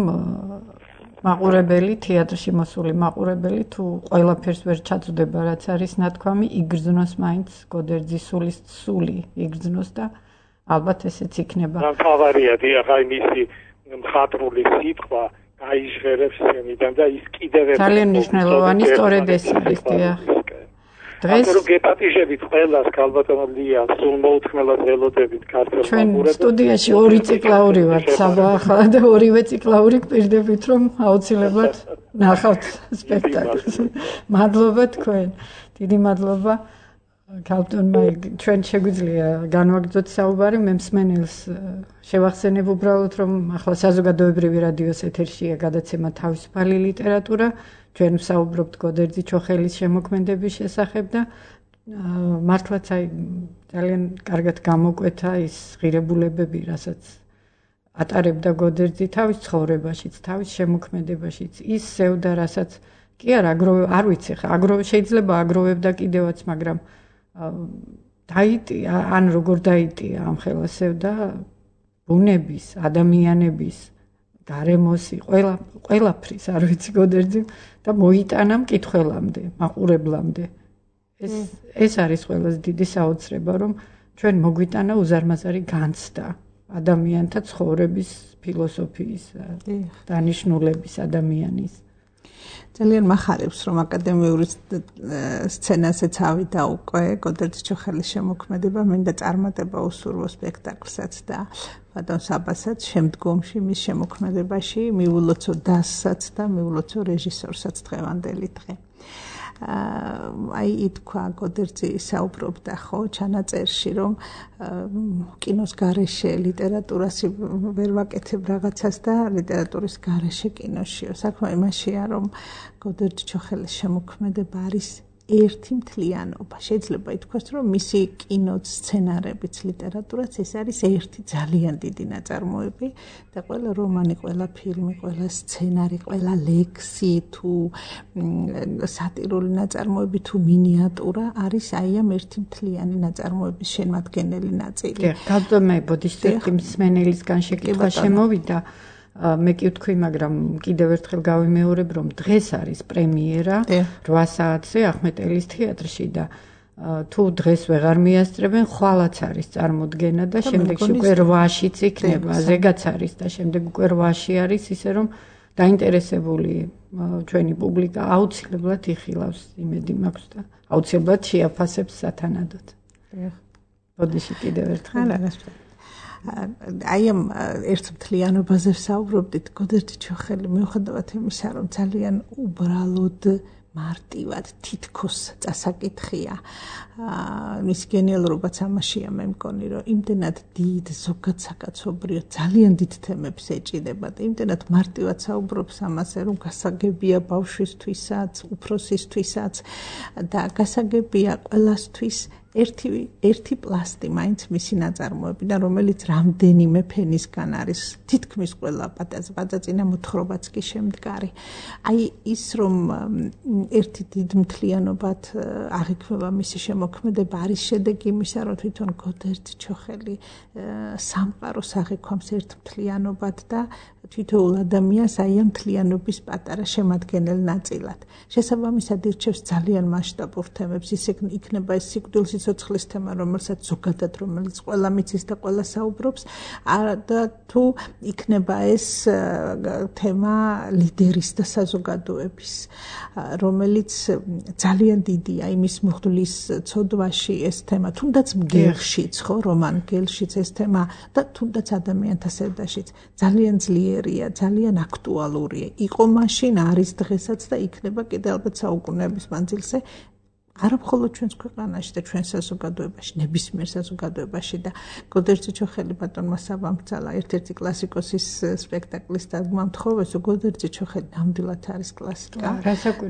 მაყურებელი, თეატრში მოსული მაყურებელი თუ ყველაფერს ვერ ჩაწვდება, რაც არის ნათქვამი, იგრძნოს მაინც გოდერძის სული იგრძნოს და ალბათ ესეც იქნება. მთავარია დიახ, მისი მხატვრული სიტყვა გაიჟღერებს სცენიდან და ის კიდევ ერთ ძალიან მნიშვნელოვანი სწორედ ეს არის დიახ. დღეს რო გეპატიჟებით ყველას ქალბატონო ლია, სულ მოუთმელად ველოდებით ქართველ მაყურებელს. სტუდიაში 2 ციკლაური ვართ საბა ახლა და 2-ვე ციკლაური გპირდებით რომ აუცილებლად ნახავთ სპექტაკლს. მადლობა თქვენ. დიდი მადლობა ქალბატონმა, ჩვენ შეგვიძლია განვაგრძოთ საუბარი, მე მსმენელს შევახსენებ უბრალოდ რომ ახლა საზოგადოებრივი რადიოს ეთერშია გადაცემა თავისუფალი ლიტერატურა. ჩვენ ვსაუბრობთ გოდერძი-ჩოხელის შემოქმედების შესახებ და მართლაც აი ძალიან კარგად გამოკვეთა ის ღირებულებები, რასაც ატარებდა გოდერძი თავის ცხოვრებაშიც, თავის შემოქმედებაშიც, ის სევდა, რასაც კი არა, არ ვიცი ხა, შეიძლება აგროვებდა კიდევაც, მაგრამ დაიტია, ან როგორ დაიტია ამ ხელას სევდა ბუნების, ადამიანების გარემოსი, ყველაფრის, არ ვიცი გოდერძი და მოიტანა მკითხველამდე, მაყურებლამდე. ეს არის ყველაზე დიდი საოცრება, რომ ჩვენ მოგვიტანა უზარმაზარი განცდა ადამიანთა ცხოვრების ფილოსოფიის, დანიშნულების ადამიანის. ძალიან მახარებს, რომ აკადემიური სცენასაც ავიდა უკვე გოდერძი-ჩოხელის შემოქმედება, მინდა წარმატება უსურვო სპექტაკლსაც და ბატონ საბასაც შემდგომში მის შემოქმედებაში, მიულოცო დასსაც და მიულოცო რეჟისორსაც დღევანდელი დღე. აი ითქვა გოდერძი საუბრობდა ხო ჩანაწერში, რომ კინოს გარეშე ლიტერატურას ვერ ვაკეთებ რაღაცას და ლიტერატურის გარეშე კინოშიო. საქმე იმაშია, რომ გოდერძი-ჩოხელის შემოქმედება არის ერთი მთლიანობა. შეიძლება ითქვას, რომ მისი კინოც, სცენარებიც, ლიტერატურაც ეს არის ერთი ძალიან დიდი ნაწარმოები და ყველა რომანი, ყველა ფილმი, ყველა სცენარი, ყველა ლექსი თუ სატირული ნაწარმოები თუ მინიატურა არის აი ამ ერთი მთლიანი ნაწარმოების შემადგენელი ნაწილი. გაბატონე ბოდიშტეტი მსმენელისგან შეკითხვა შემოვიდა. მე კი ვთქვი, მაგრამ კიდევ ერთხელ გავიმეორებ, რომ დღეს არის პრემიერა 8 საათზე ახმეტელის თეატრში და თუ დღეს ვეღარ მიასწრებენ, ხვალაც არის წარმოდგენა და შემდეგში უკვე 8-შიც იქნება, ზეგაც არის და შემდეგ უკვე 8-ში არის, ისე რომ დაინტერესებული ჩვენი პუბლიკა აუცილებლად იხილავს, იმედი მაქვს და აუცილებლად შეაფასებს სათანადოდ. ბოდიში კიდევ ერთხელ. აი ამ ერთ მთლიანობაზე ვსაუბრობდით, გოდერძი ჩოხელი, მიუხედავად იმისა, რომ ძალიან უბრალოდ მარტივად თითქოს წასაკითხია. მისი გენიალურობაც ამაშია, მე მგონი, რომ იმდენად დიდ ზოგად საკაცობრიო ძალიან დიდ თემებს ეჭიდება და იმდენად მარტივად საუბრობს ამაზე, რომ გასაგებია ბავშვისთვისაც, უფროსისთვისაც და გასაგებია ყველასთვის ერთი პლასტი მაინც მისი ნაწარმოებიდან, რომელიც რამდენიმე ფენისგან არის, თითქმის ყველა პაწაწინა მოთხრობაც კი შემდგარი. აი ის რომ ერთი დიდ მთლიანობად აღიქმება მისი შემოქმედება, არის შედეგი იმისა, რომ თვითონ გოდერძი ჩოხელი სამყაროს აღიქვამს ერთ მთლიანობად და თითოეულ ადამიანს აი ამ მთლიანობის პატარა შემადგენელ ნაწილად. შესაბამისად ირჩევს ძალიან მასშტაბურ თემებს, ის იქნება ეს სიკვდილის სიცოცხლის თემა, რომელსაც ზოგადად რომელიც ყველა მიცის და ყველა საუბრობს, და თუ იქნება ეს თემა ლიდერის და საზოგადოების, რომელიც ძალიან დიდია იმის მღვდლის ცოდვაში ეს თემა, თუნდაც მგელშიც, ხო, რომან გელშიც ეს თემა და თუნდაც ადამიანთა სევდაშიც ძალიან ძლიერია, ძალიან აქტუალურია. იყო მაშინ, არის დღესაც და იქნება კიდევ ალბათ საუკუნეების მანძილზე. არა მხოლოდ ჩვენს ქვეყანაში და ჩვენ საზოგადოებაში, ნებისმიერ საზოგადოებაში და გოდერძი ჩოხელი ბატონმა საბამბძალა ერთ-ერთი კლასიკოსის სპექტაკლის დადგმა მთხოვეს, გოდერძი ჩოხელი ნამდვილად არის კლასიკა.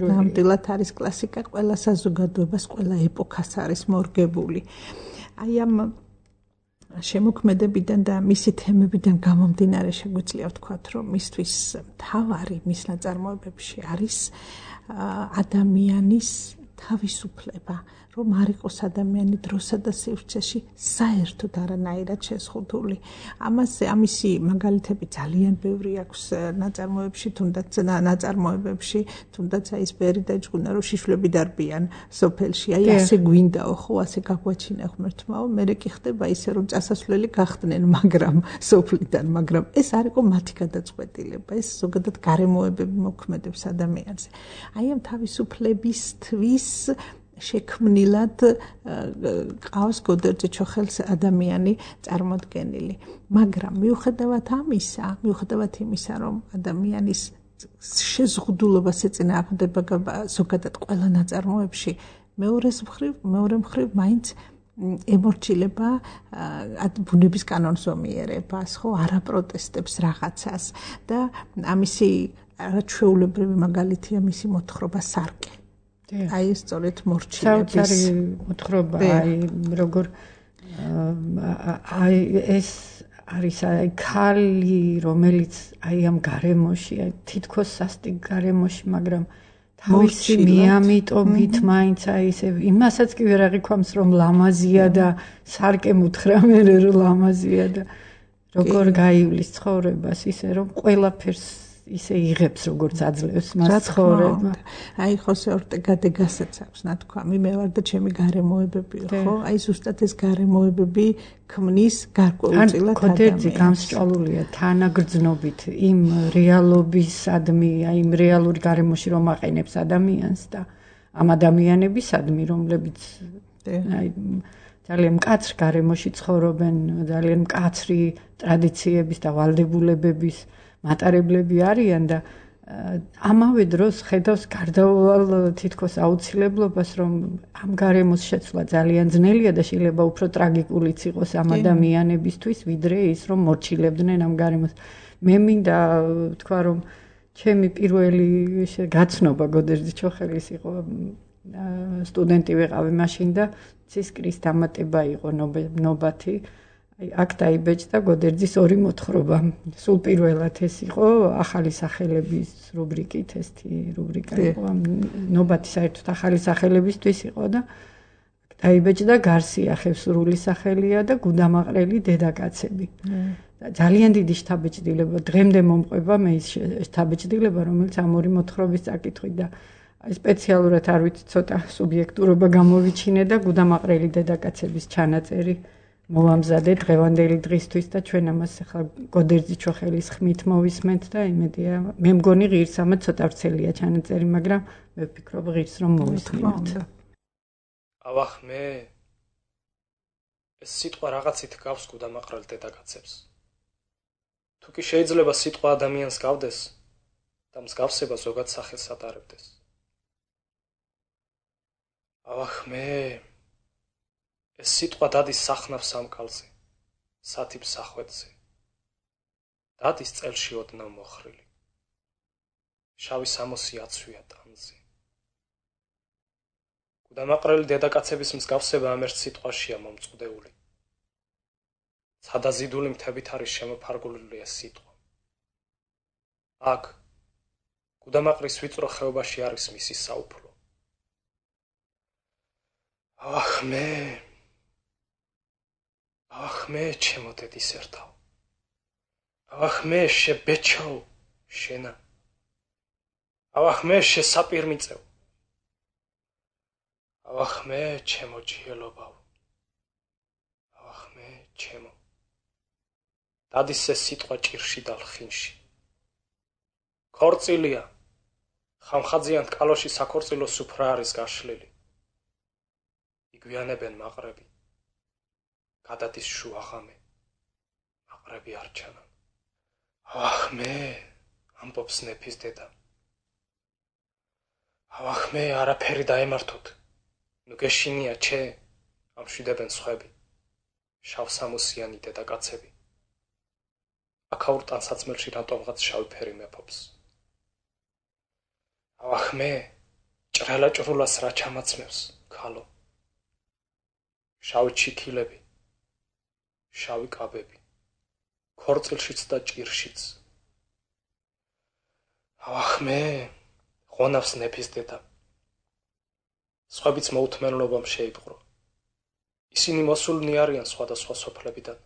ნამდვილად არის კლასიკა, ყველა საზოგადოებას, ყველა ეპოქას არის მორგებული. აი ამ შემოქმედებიდან და მისი თემებიდან გამომდინარე შეგვიძლია ვთქვათ, რომ მისთვის მთავარი მის ნაწარმოებებში არის ადამიანის თავისუფლება, რომ არ იყოს ადამიანი დროსა და სივრცეში საერთოდ არანაირად შეზღუდული. ამისი მაგალითები ძალიან ბევრი აქვს ნაწარმოებებში, თუნდაც აი ეს ბერი და ჭკუნა, რომ შიშვლები დარბიან სოფელში. აი ასე გვინდაო, ხო, ასე გაგვაჩინა ღმერთმაო, მერე კი ხდება ისე, რომ წასასვლელი გახდნენ, მაგრამ სოფლიდან, მაგრამ ეს არ იყო მათი გადაწყვეტილება, ეს ზოგადად გარემოებები მოქმედებს ადამიანზე. აი ამ თავისუფლებისთვის შექმნილად ყავს გოდერძი ჩოხელს ადამიანი წარმოდგენილი. მაგრამ მიუხედავად იმისა, რომ ადამიანის შეზღუდულობას ეწინააღმდება ზოგადად ყველა ნაწარმოებში, მეორე მხრივ მაინც ემორჩილება ბუნების კანონს ომიერებას, ხო, არაპროტესტებს რაღაცას და ამისი არაჩვეულებრივი მაგალითია მისი მოთხრობა სარკე. აი ეს სწორედ მორჩილების საოცარი მოთხრობა, აი როგორ აი ეს არის აი ქალი, რომელიც აი ამ გარემოში, აი თითქოს სასტიკ გარემოში, მაგრამ თავისი მიამიტობით მაინც აი ესე იმასაც კი ვერ აღიქვამს, რომ ლამაზია და სარკე მუთხრა მე რომ ლამაზია და როგორ გაივლის ცხოვრებას, ისე რომ ყველაფერს ისე იღებს, როგორც აძლევს მას ცხოვრება. აი ხოსე ორტეგა დე გასაც აქვს ნათქვამი, მე ვარ და ჩემი გარემოებები, ხო? აი ზუსტად ეს გარემოებები ქმნის გარკვეულწილად ადამიანს. გოდერძი გამსჭვალულია თანაგრძნობით იმ რეალობისადმი, აი იმ რეალური გარემოში რომ აყენებს ადამიანს და ამ ადამიანებისადმი, რომლებიც აი ძალიან მკაცრ გარემოში ცხოვრობენ, ძალიან მკაცრი ტრადიციების და ვალდებულებების მატარებლები არიან და ამავე დროს ხედავს გარდაუვალ თითქოს აუცილებლობას, რომ ამ გარემოს შეცვლა ძალიან ძნელია და შეიძლება უფრო ტრაგიკულიც იყოს ამ ადამიანებისთვის, ვიდრე ის, რომ მორჩილებდნენ ამ გარემოს. მე მინდა ვთქვა, რომ ჩემი პირველი გაცნობა გოდერძი ჩოხელის იყო სტუდენტი ვიყავი მაშინ და ცისკრის დამატება იყო ნობათი. აქ დაიბეჭდა გოდერძის 2 მოთხრობა. სულ პირველად ეს იყო ახალი სახელების რუბრიკით, ესეთი რუბრიკა იყო. ნობათი საერთოდ ახალი სახელებისთვის იყო და დაიბეჭდა გარსია ხევსურული სახელია და გუდამაყრელი დედაკაცები. ძალიან დიდი შთაბეჭდილება დღემდე მომყვება მე ის შთაბეჭდილება, რომელიც ამ 2 მოთხრობის წაკითხვით და სპეციალურად არ ვიცი ცოტა სუბიექტურობა გამოვიჩინე და გუდამაყრელი დედაკაცების ჩანაწერი მოვამზადე დღევანდელი დღისთვის და ჩვენ ამას ახლა გოდერძი ჩოხელის ხმით მოვისმენთ და იმედია მე მგონი ღირსამაც ცოტა ვრცელია ჩანაწერი, მაგრამ მე ვფიქრობ ღირს რომ მოვისმინოთ. ავახ მე ეს სიტყვა რაღაცით გავს გუდამაყრელ დედაკაცებს. თუ კი შეიძლება სიტყვა ადამიანს გავდეს და მსგავსება ზოგად სახელს ატარებდეს. ავახ მე ეს სიტყვა დადის სახნავს სამკალზე, სათიბ სახვედზე. დადის წელში ოდნავ მოხრილი. შავი სამოსი აცვია ტანზე. გუდამაყრელი დედაკაცების მსგავსება ამ ერთ სიტყვაშია მომწყდეული. ცადაზიდული მთებით არის შემოფარგლული ეს სიტყვა. აქ გუდამაყრის ვიწრო ხეობაში არის მისი საუფლო. Ах მე ჩემო დედის ერთავ. Ах მე შებეჩო შენა. Ах მე შესაპირმიწევ. Ах მე ჩემო ჯიელობავ. Ах მე ჩემო. დადის ეს სიტყვა ჭირში და ლხინში. ქორწილია. ხამხაძიან კალოში საქორწილო სუფრა არის გაშლილი. იგვიანებენ მაყრები. გადადის შუაღამე. მაყრები არ ჩანან. Ах მე ამბობს ნეფის დედა. Ах მე არაფერი დაემართოთ. ნუ გეშინია ჩე ამშვიდებენ სხვები. შავსამოსიანი დედაკაცები. აქაურ ტანსაცმელში რატომღაც შავი ფერი მეფობს. Ах მე ჭრელა ჭრულას რა ჩამაცმევს ქალო. შავი ჩიქილები. შავი კაბები. ქორწილშიც და ჭირშიც. Ах მე ღონავს ნეფის დედა. სხვებიც მოუთმენლობამ შეიპყრო. ისინი მოსულნი არიან სხვადასხვა სოფლებიდან.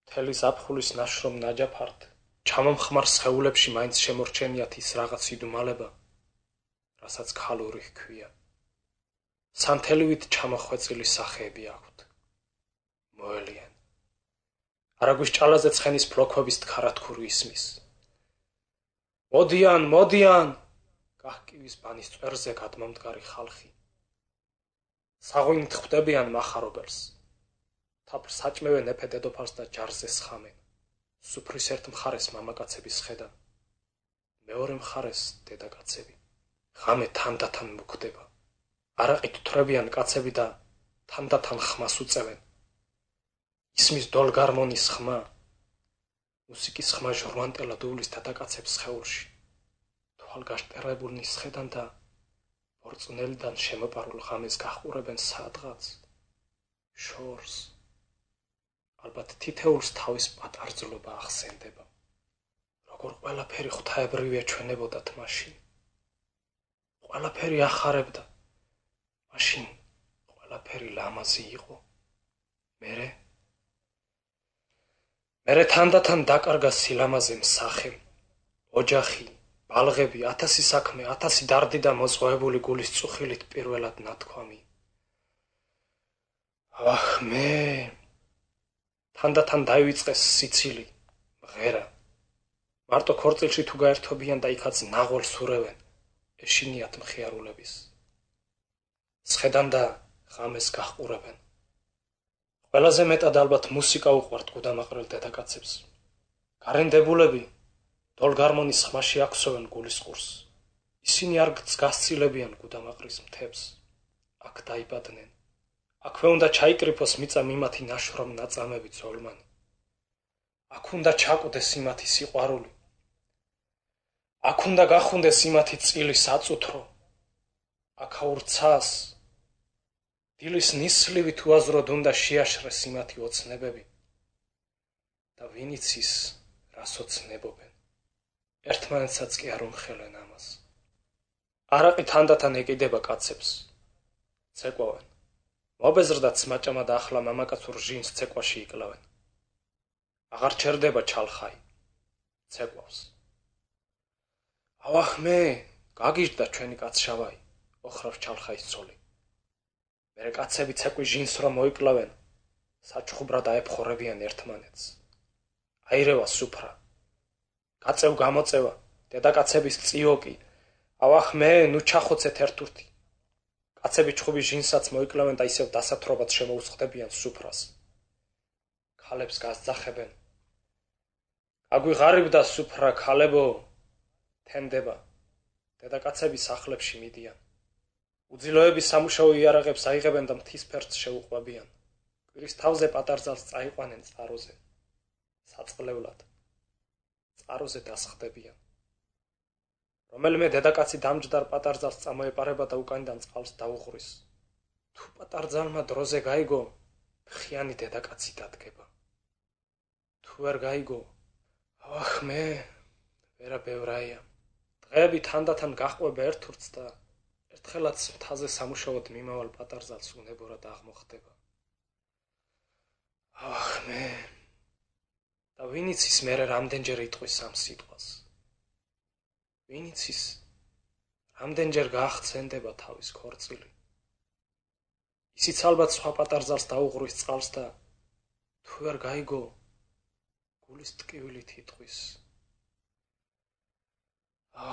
მთელი ზაფხულის ნაშრომ ნაჯაფართ, ჩამომხმარ სხეულებში მაინც შემორჩენიათ ის რაღაც იდუმალება, რასაც ქალური ჰქვია. სანთელივით ჩამოხვეწილი სახეები აქვთ. მოელიან. არაგვის ჭალაზე ცხენის ფლოქვების თხარათქური ისმის. მოდიან! გაჰკივის ბანის წვერზე გადმომდგარი ხალხი. საღვინით ხვდებიან მახარობელს. თაფლს საჭმევენ ეფე დედოფალს და ჯარზე სხამენ. სუფრის ერთ მხარეს მამაკაცების ხედან. მეორე მხარეს დედაკაცები. ღამე თანდათან მოკვდება. არაყით თვრებიან კაცები და თანდათან ხმას უწევენ. ისმის დოლგარმონის ხმა. მუსიკის ხმა ჟორვანტელა დუვლის დედაკაცებს სხეულში. თვალგაშტერებულნის ხედან და ბორწნელიდან შემოპარულ ღამეს გაჰყურებენ სადღაც შორს. ალბათ თითეულს თავის პატარძლობა ახსენდება. როგორ ყველაფერი ღვთაებრივი ეჩვენებოდათ მაშინ. ყველაფერი ახარებდა. მაშინ ყველაფერი ლამაზი იყო. მერე თანდათან დაკარგა სილამაზემ სახე. ოჯახი, ბალღები, 1000 საქმე, 1000 დარდი და მოზღვეებული გულის წუხილით პირველად ნათქვამი. Ах მე თანდათან დაივიწყეს სიცილი, მღერა. მარტო ქორწილში თუ გაერთობიან და იქაც ნაღოლს ურევენ, ეშინიათ მხიარულების. სხედან და ღამეს გაჰყურებენ. ყველაზე მეტად ალბათ მუსიკა უყვართ გუდამაყრელ დედაკაცებს. გარენდებულები დოლგარმონის ხმაში აქვსოვენ გულის ყურს. ისინი არ გასცილებიან გუდამაყრის მთებს. აქ დაიბადნენ. აქვე უნდა ჩაიკრიფოს მიწა მიმათი ნაშრომ ნაწამები ძოლმანი. აქ უნდა ჩაკვდეს იმათი სიყვარული. აქ უნდა გახუნდეს იმათი წილი საწუთრო. აქაურ ცას დილის ნისლივით უაზროდ უნდა შეაშრეს იმათი ოცნებები და ვინიც ის რას ოცნებობენ ერთმანეთსაც კი არ უმხელენ ამას. არაყი თანდათან ეკიდება კაცებს ცეკვავენ მობეზრდათ სმაჭამა და ახლა მამაკაცურ ჟინს ცეკვაში იკლავენ. აღარ ჩერდება ჩალხაი ცეკვავს. ავახმე გაგიჟდა ჩვენი კაცშავაი ოხრავს ჩალხაის ცოლი. მერე კაცები ცეკვის ჟინს რომ მოიკლავენ საჩხუბრად აეფხორებიან ერთმანეთს. აირევა სუფრა გაწევ გამოწევა დედაკაცების წიოკი ავახმე ნუ ჩახოცეთ ერთურთი. კაცები ჩხუბის ჟინსაც მოიკლავენ და ისევ დასათრობად შემოუწყდებიან სუფრას. ქალებს გასძახებენ. აგვიღარიბდა სუფრა ქალებო თენდება. დედაკაცები სახლებში მიდიან. უძილოების სამუშაო იარაღებს აიღებენ და მთის ფერდს შეუყვებიან. კვირის თავზე პატარძალს წაიყვანენ წყაროზე. საწყლევლად. წყაროზე დასხდებიან. რომელიმე დედაკაცი დამჯდარ პატარძალს წამოეპარება და უკანიდან წყალს დაუღრის. თუ პატარძალმა დროზე გაიგო, ფხიანი დედაკაცი დადგება. თუ არ გაიგო, ავახმე, ვერა ბევრაია. დღეები თანდათან გაჰყვება ერთურთს და ერთხელაც მთაზე სამუშაოდ მიმავალ პატარძალს უნებურად აღმოხდება. ავახმე, და ვინიც ის მერე რამდენჯერ იტყვის ამ სიტყვას. ვინიც ის რამდენჯერ გაახცენდება თავის ქორწილი. ისიც ალბათ სხვა პატარძალს დაუღრის წყალს და თუ არ გაიგო, გულის ტკივილით იტყვის.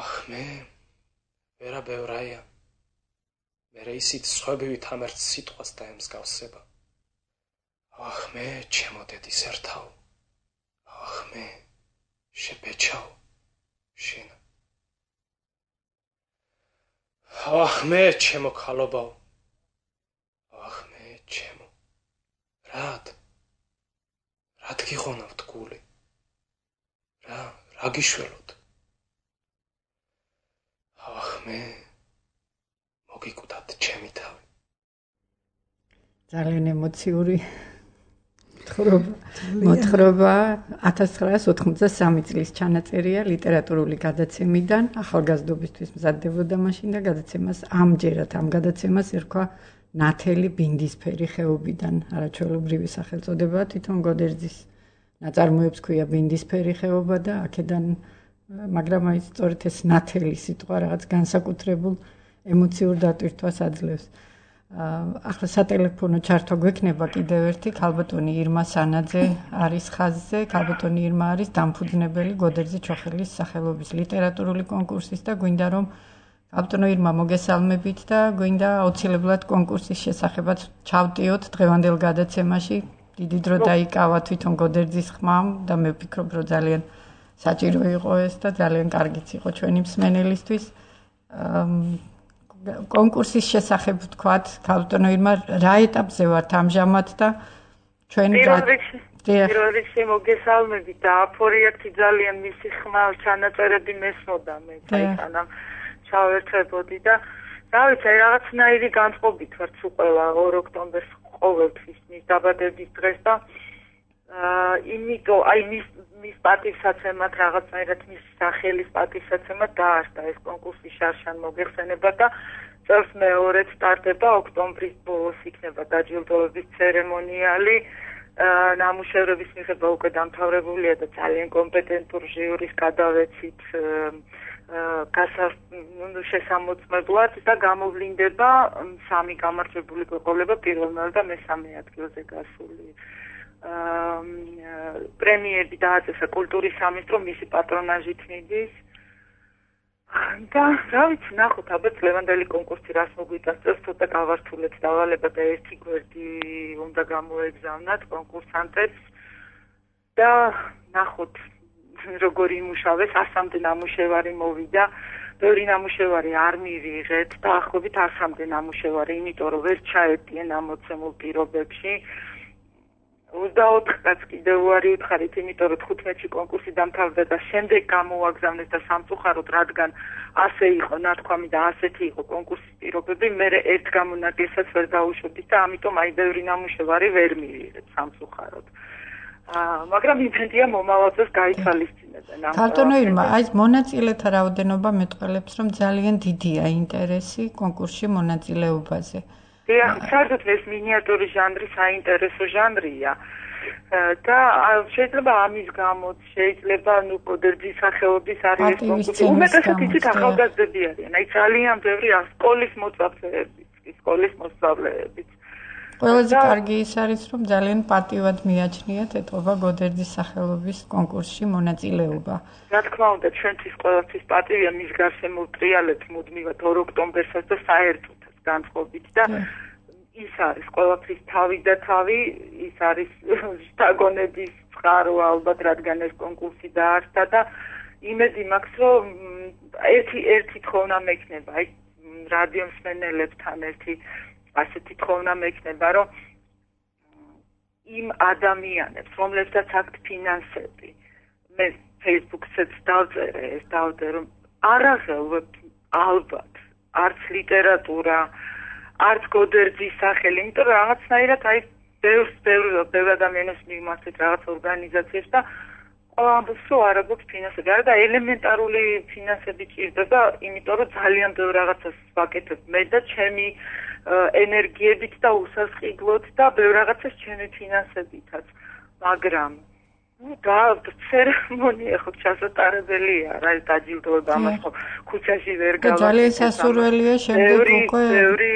ახმე, ვერა ბევრაია. მერე ისიც სხვებივით ამ ერთ სიტყვას დაემსგავსება. ახმე, ჩემო დედის ერთავ. ახმე, შებეჩავ, შენა. ახმე, ჩემო ქალობავ. ახმე, ჩემო. რად გიღონავთ გული? რა გიშველოთ? ახმე, მოგიკვდათ ჩემი თავი. ძალიან ემოციური მოთხრობა 1983 წლის ჩანაწერია ლიტერატურული გადაცემიდან. ახალგაზრდობისთვის მზადდებოდა მაშინ და გადაცემას ამჯერად ამ გადაცემას ერქვა ნათელი ბინდისფერი ხეობიდან. არაჩვეულებრივი სახელწოდებაა თვითონ გოდერძის ნაწარმოებს ქვია ბინდისფერი ხეობა და აქედან მაგრამ აი სწორედ ეს ნათელი სიტყვა რაღაც განსაკუთრებულ ემოციურ დატვირთვას აძლევს. ახლა სატელეფონო ჩართვა გვექნება კიდევ ერთი ქალბატონი ირმა სანაძე არის ხაზზე. ქალბატონი ირმა არის დამფუძნებელი გოდერძი ჩოხელის სახელობის ლიტერატურული კონკურსის და გვინდა რომ ქალბატონო ირმა მოგესალმებით და გვინდა აუცილებლად კონკურსის შესახებაც ჩავტიოთ დღევანდელ გადაცემაში. დიდი დრო დაიკავა თვითონ გოდერძის ხმამ და მე ვფიქრობ რომ ძალიან საჭირო იყო ეს და ძალიან კარგიც იყო ჩვენი მსმენელისთვის. კონკურსის შესახებ ვთქვათ, ქალბატონო ირმა, რა ეტაპზე ვართ ამჟამად და ჩვენ პირველ რიგში მოგესალმებით და აფორიაქი ძალიან მისი ხმა ჩანაწერები მესმოდა მე საიტანამ ჩავერთვებოდი და რა ვიცი, რაღაცნაირი განწყობით ვართ სულ ყველა 2 ოქტომბერს ყოველთვის მის დაბადების დღეს და იმიტომ აი მის პატივსაცემად რაღაცნაირად მის სახელის პატივსაცემად დაარსდა ეს კონკურსი შარშან მოგეხსენება და წელს მეორედ სტარტდება ოქტომბრის ბოლოს იქნება დაჯილდოების ცერემონიალი. ნამუშევრების მიღება უკვე დამთავრებულია და ძალიან კომპეტენტურ ჟიურის გადავეცით შესამოწმებლად და გამოვლინდება 3 გამარჯვებული გვეყოლება პირველ და მესამე ადგილზე გასული. პრემიები დააწესა კულტურის სამინისტრო მისი პატრონაჟით მიდის. და რა ვიცი, ნახოთ ალბათ ლევანდელი კონკურსი რას მოგვიტანს, წელს ცოტა გავართულეთ დავალება და ერთი გვერდი უნდა გამოეგზავნათ კონკურსანტებს და ნახოთ როგორი იმუშავეს, 100-მდე ნამუშევარი მოვიდა, ბევრი ნამუშევარი არ მივიღეთ და ახლობით 100-მდე ნამუშევარი, იმიტომ რომ ვერ ჩაეტიენ ამოცემულ პირობებში. 24-ს კიდევ უარი უთხარით, იმიტომ რომ 15-ში კონკურსი დამთავრდა და შემდეგ გამოაგზავნეს და სამწუხაროდ, რადგან ასე იყო ნათქვამი და ასეთი იყო კონკურსის პირობები, მე ერთ გამონაკლისსაც ვერ დაუშვებდით და ამიტომ აი ბევრი ნამუშევარი ვერ მივიღეთ სამწუხაროდ. მაგრამ იმედია მომავალზეც გაითვალისწინებენ. ქალბატონო ირმა, აი მონაწილეთა რაოდენობა მეტყველებს, რომ ძალიან დიდია ინტერესი კონკურსში მონაწილეობაზე. დიახ, საერთოდ ეს მინიატურის ჟანრი საინტერესო ჟანრია. და შეიძლება ამის გამოც, შეიძლება კოდერძის სახელობის არის კონკურსი. უმეტესად იცით ახალგაზრდები არიან. აი ძალიან ბევრი სკოლის მოსწავლეებიც. ყველაზე კარგი ის არის, რომ ძალიან პატივად მიაჩნიათ ეთყობა გოდერძის სახელობის კონკურსში მონაწილეობა. რა თქმა უნდა, ჩვენთვის ყველაფრის პატივია მის გარშემო ტრიალებთ მუდმივად 2 ოქტომბერსაც და საერთოდ განწყობით და ის არის ყველაფრის თავი და თავი, ის არის შთაგონების წყარო ალბათ, რადგან ეს კონკურსი დაარსდა და იმედი მაქვს, რომ ერთი თხოვნა მექნება, აი რადიო მსმენელებთან ერთი ასეთი თხოვნა მექნება, რომ იმ ადამიანებს, რომლებსაც აქვთ ფინანსები, მე Facebook-საც დავწერე, რომ არ აღელვებთ ალბათ არც ლიტერატურა, არც გოდერძის სახელი, იმიტომ რომ რაღაცნაირად აი ბევრ ადამიანებს მიმართეთ რაღაც ორგანიზაციებს და ყველა ამბობს, რომ არ აქვს ფინანსები. არა და ელემენტარული ფინანსები ჭირდება, იმიტომ რომ ძალიან ბევრ რაღაცას ვაკეთებ მე და ჩემი ენერგიებით და უსასყიდლოდ და ბევრ რაღაცას ჩემი ფინანსებითაც. მაგრამ და ცერემონია ხო ჩასატარებელია, რა დაჯილდოება ამას ხო ქუჩაში ვერ გავა. ძალიან სასურველია შემდეგ უკვე ბევრი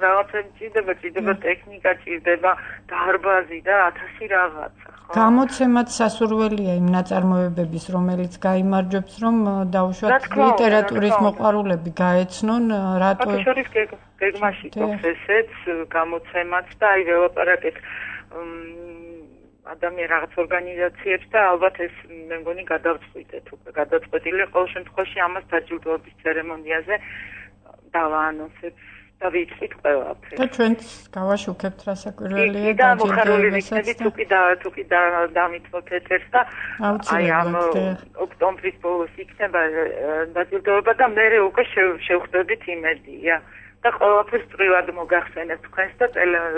რაღაცები ჭირდება ტექნიკა ჭირდება, დარბაზი და 1000 რაღაცა. გამოცემაც სასურველია იმ ნაწარმოებების, რომელიც გაიმარჯვებს, რომ დაუშვათ ლიტერატურის მოყვარულები გაეცნონ, რატო შორის გეგმაში გვაქვს ესეც გამოცემაც და აი ველაპარაკეთ ადამიან რაღაც ორგანიზაციებს და ალბათ ეს მე მგონი გადავწყვიტეთ უკვე გადაწყვეტილია ყოველ შემთხვევაში ამას დაჯილდოების ცერემონიაზე დავაანონსებ და ვიცით ყველაფერს. და ჩვენც გავაშუქებთ რასაკვირველია და მოხარული ვიქნებით თუკი დამითმოთ ეთერს და აი ამ ოქტომბრის ბოლოს იქნება დაჯილდოება და მე უკვე შევხვდებით იმედია და ყველაფერს წვრილად მოგახსენებთ თქვენს და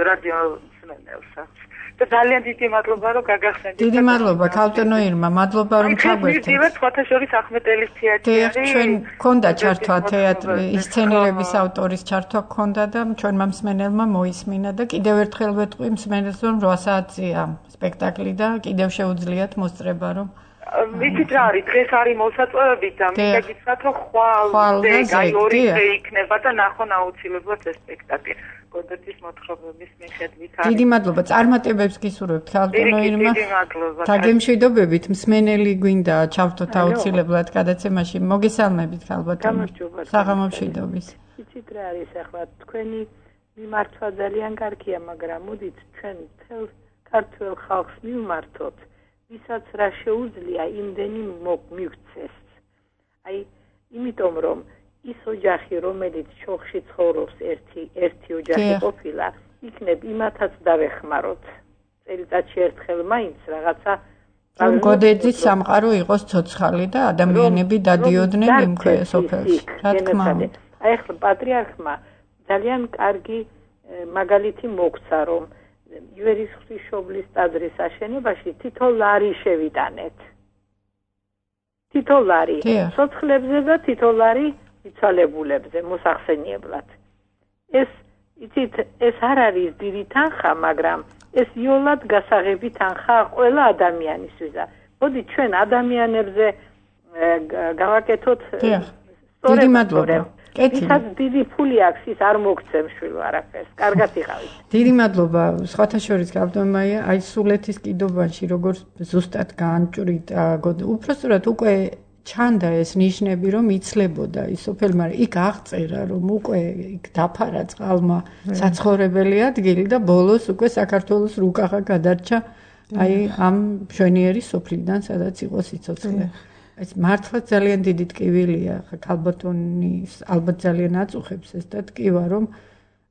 რადიო მსმენელსაც. და ძალიან დიდი მადლობა რომ გაგახსენდით. დიდი მადლობა ქალბატონო ირმა, მადლობა რომ ჩაგვერთვით. მივდივართ სხვათა შორის ახმეტელის თეატრი. ჩვენ გქონდა ჩართვა თეატრი, ისცენირების ავტორის ჩართვა გქონდა და ჩვენმა მსმენელმა მოისმინა და კიდევ ერთხელ ვეთყვი მსმენელს რომ 8 საათია სპექტაკლი და კიდევ შეუძლიათ მოსწრება რომ ვიცით რა არის, დღეს არის მოსაწვევები და მინდა გითხრათ რომ ხვალ აი 2 დღე იქნება და ნახონ აუცილებლად ეს სპექტაკლი. გოდერძის მოთხრობების მიხედვით არის. დიდი მადლობა. წარმატებებს გისურვებთ ქალბატონო ირმა. დიდი მადლობა. დაგემშვიდობებით, მსმენელი გვინდა ჩავთოთ აუცილებლად გადაცემაში. მოგესალმებით ქალბატონო. საღამომშვიდობის. იცით რა არის ახლა თქვენი მიმართვა ძალიან კარგია, მაგრამ მოდით ჩვენ თელ ქართულ ხალხს მივმართოთ, ვისაც რა შეუძლია იმდენი მივცეს. აი, იმიტომ რომ ის ოჯახი, რომელიც ჩოხში ცხოვრობს, ერთი ოჯახი ყოფილა, იქნებ იმათაც დავეხმაროთ. წელიწადში ერთხელ მაინც რაღაცა რომ გოდერძის სამყარო იყოს ცოცხალი და ადამიანები დადიოდნენ იმ სოფელში. რა თქმა უნდა. აი ახლა პატრიარქმა ძალიან კარგი მაგალითი მოგცა, რომ ივერის ღვთისმშობლის ტაძრის აშენებაში თითო ლარი შევიტანეთ. თითო ლარი სოცხლებზე და თითო ლარი იცვალებულებზე მოსახსენიებლად. ეს იცით, ეს არ არის დიდი თანხა, მაგრამ ეს იოლად გასაღები თანხა ყველა ადამიანისთვის. მოდი ჩვენ ადამიანებზე გავაკეთოთ დიდი მადლობა. ისაც დიდი ფული აქვს, ის არ მოგცემ შვილო არაფერს. კარგად იყავით. დიდი მადლობა. სხვათა შორის ქალბატონია, აი სულეთის კიდობანში როგორც ზუსტად გაანჭვრიტა, უпростоრად უკვე ჩანდა ეს ნიშნები, რომ იცლებოდა ის სოფელი, მაგრამ იქ აღწერა, რომ უკვე იქ დაფარა წყალმა საცხოვრებელი ადგილი და ბოლოს უკვე საქართველოს რუკახა გადარჩა აი ამ მშვენიერი სოფლიდან, სადაც იყო სიცოცხლე. ეს მართლა ძალიან დიდი ტკივილია, ხა ქალბატონის ალბათ ძალიან აწუხებს ეს და ტკივა, რომ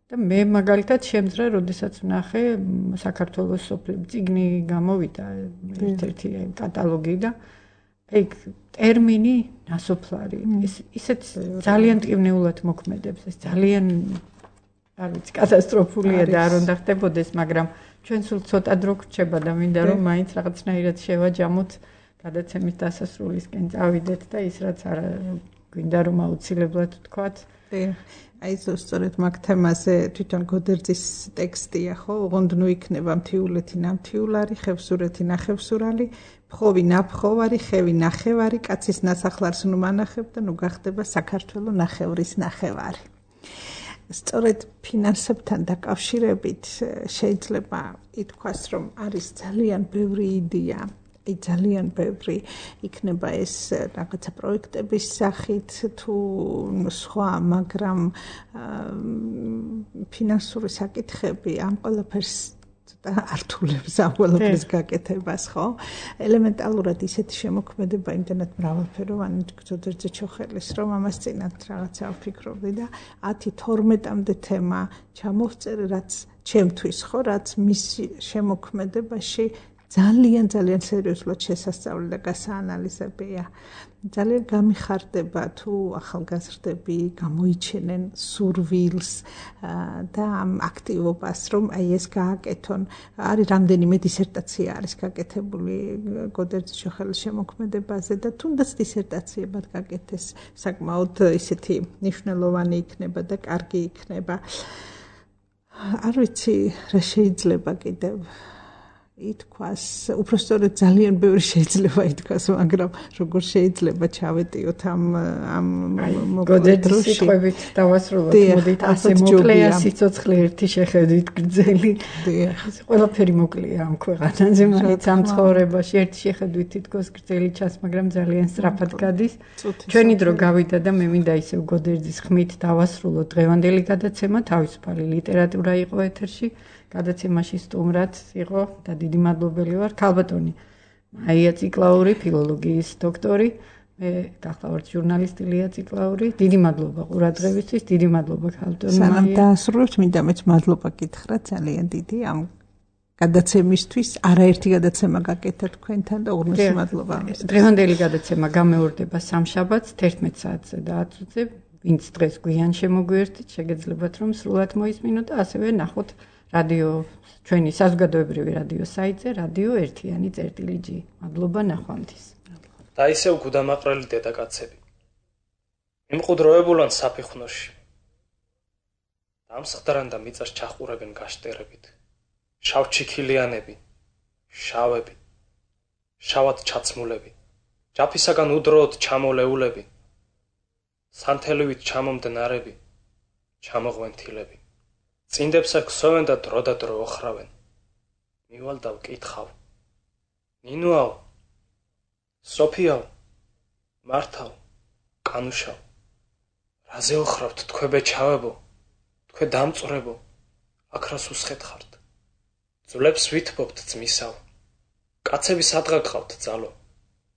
და მე მაგალითად შემძრა, როდესაც ვნახე საქართველოს სოფლები წიგნი გამოვიდა ერთ-ერთი კატალოგი და აი ტერმინი ნასოფლარი ისეთ ძალიან ტკივნეულად მოქმედებს, ეს ძალიან არ ვიცი, კატასტროფულია და არ უნდა ხდებოდეს, მაგრამ ჩვენ სულ ცოტა დრო გრჩება და მინდა რომ მაინც რაღაცნაირად შევაჯამოთ გადაცემის დასასრულისკენ წავიდეთ და ის რაც არ გვინდა რომ აუცილებლად ვთქვათ. აი სწორედ მაგ თემაზე თვითონ გოდერძის ტექსტია, ხო? ოღონდ ნუ იქნება მთიულეთი ნამთიულარი, ხევსურეთი ნახევსურალი, ფხოვი ნაფხოვარი, ხევი ნახევარი, კაცის ნასახლარს ნუ მანახებ და ნუ გახდება საქართველო ნახევრის ნახევარი. სწორედ ფინანსებთან დაკავშირებით შეიძლება ითქვას, რომ არის ძალიან ბევრი იდეა, ძალიან ბევრი იქნება ეს რაღაცა პროექტების სახით თუ სხვა, მაგრამ ფინანსური საკითხები ამ ყველაფერს ართულებს ამ ყველაფრის გაკეთებას, ხო? ელემენტალურად ისეთი შემოქმედება იმდენად მრავალფეროვანი გრძოდერძე ჩოხელის, რომ ამას წინათ რაღაცა ვფიქრობდი და 10-12-მდე თემა ჩამოვწერე, რაც ჩემთვის, ხო, რაც მის შემოქმედებაში ძალიან სერიოზულად შესასწავლი და გასაანალიზებია. ძალიან გამიხარდება თუ ახალგაზრდები გამოიჩენენ სურვილს და ამ აქტივობას, რომ აი ეს გააკეთონ. არის რამდენიმე დისერტაცია არის გაკეთებული გოდერძის ჩოხელის შემოქმედებაზე და თუნდაც დისერტაციებად გაკეთეს, საკმაოდ ისეთი მნიშვნელოვანი იქნება და კარგი იქნება. არ ვიცი რა შეიძლება კიდევ ითქვას, უბრალოდ ძალიან ბევრი შეიძლება ითქვას, მაგრამ როგორ შეიძლება ჩავეტიოთ ამ გოდერძის სიტყვებით დავასრულოთ, მოდით ასე მოკლეა სიცოცხლე ერთი შეხედვით გრძელი. ყველაფერი მოკლეა ამ ქვეყანაზე, მაგრამ ამ ცხოვრებაში ერთი შეხედვით თითქოს გრძელი ჩანს, მაგრამ ძალიან სწრაფად გადის. ჩვენი დრო გავიდა და მე მინდა ისევ გოდერძის ხმით დავასრულოთ დღევანდელი გადაცემა, თავისუფალი ლიტერატურა იყო ეთერში. გადაცემაში სტუმრად იყო და დიდი მადლობელი ვარ ქალბატონი მაია ციკლაური, ფილოლოგიის დოქტორი, მე გახლავართ ჟურნალისტი ლია ციკლაური. დიდი მადლობა ყურადღებისთვის, დიდი მადლობა ქალბატონი მაია. სანამ დაასრულებთ, მინდა მეც მადლობა გითხრათ ძალიან დიდი ამ გადაცემისთვის. არაერთი გადაცემა გაკეთეთ თქვენთან და უღრმესი მადლობა ამისთვის. დღევანდელი გადაცემა გამეორდება სამშაბათს 11 საათზე და 10 წუთზე. ვინც დღეს გვიან შემოგვიერთით, შეგეძლებათ რომ სრულად მოისმინოთ და ასევე ნახოთ რადიო ჩვენი საზოგადოებრივი რადიო საიტზე რადიო 1.G. მადლობა ნახვამდის. და ისევ გუდამაყრელი დედაკაცები. იმყუდროებულან საფეხნოში. დამსხდარან და მიწას ჩახურებენ გაშტერებით. შავჩიქილიანები, შავები, შავად ჩაცმულები. ჯაფისაგან უდროოდ ჩამოლეულები. სანთელივით ჩამომდნარები, ჩამოღვენთილები. წინდებსა ქსოვენ და დრო ოხრავენ. მივალ და ვკითხავ. ნინუაო, სოფიაო, მართავ, კანუშაო. რაზე ოხრავთ თქვენ ჩავებო, თქვენ დამწვრებო, აქ რას უსხეთხართ. ძვლებს ვითბობთ ძმისაო. კაცები სადღა გყავთ ძალო.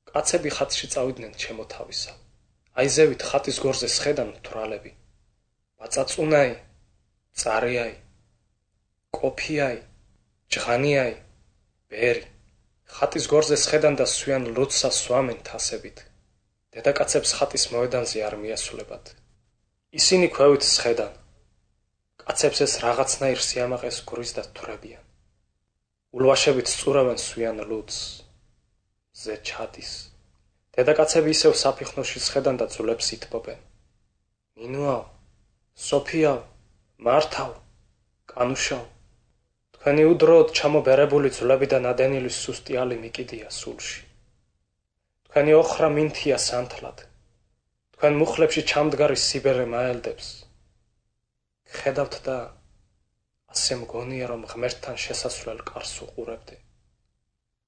კაცები ხატში წავიდნენ ჩემო თავისა. აიზევით ხატის გორზე სხედან თვრალები. ბაწაწუნაი, წარიაი, კოფიაი, ჯღანიაი, ბერი. ხატის გორზე სხედან და სვიან ლოცსა სვამენ თასებით. დედაკაცებს ხატის მოედანზე არ მიასულებად. ისინი ქვევით სხედან. კაცებს ეს რაღაცნაირ სიამაყეს გურის და თვრებიან. ულვაშებით სწურავენ სვიან ლუცს. ზე ჩადის. დედაკაცები ისევ საფიხნოში სხედან და ძვლებს ითბობენ. ნინუაო, სოფიაო, მართავ, კანუშაო. თქვენი უდროოდ ჩამობერებული ძვლები და ნადენილი სუსტიალი მიკიდია სულში. თქვენი ოხრა მინთია სანთლად. თქვენ მუხლებში ჩამდგარი სიბერე მაელდებს. გხედავთ და ასე მგონია რომ ღმერთთან შესასვლელ კარს უყურებდი.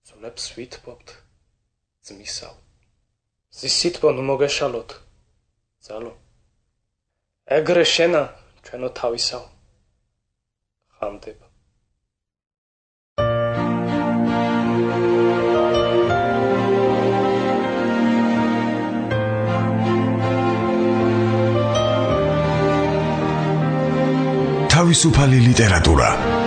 ძვლებს ვითბობთ ძმისაო. ზის სითბო ნუ მოგეშალოთ, ძალო. ეგრე შენა ჩვენო თავისაო. ხამდება. თავისუფალი ლიტერატურა.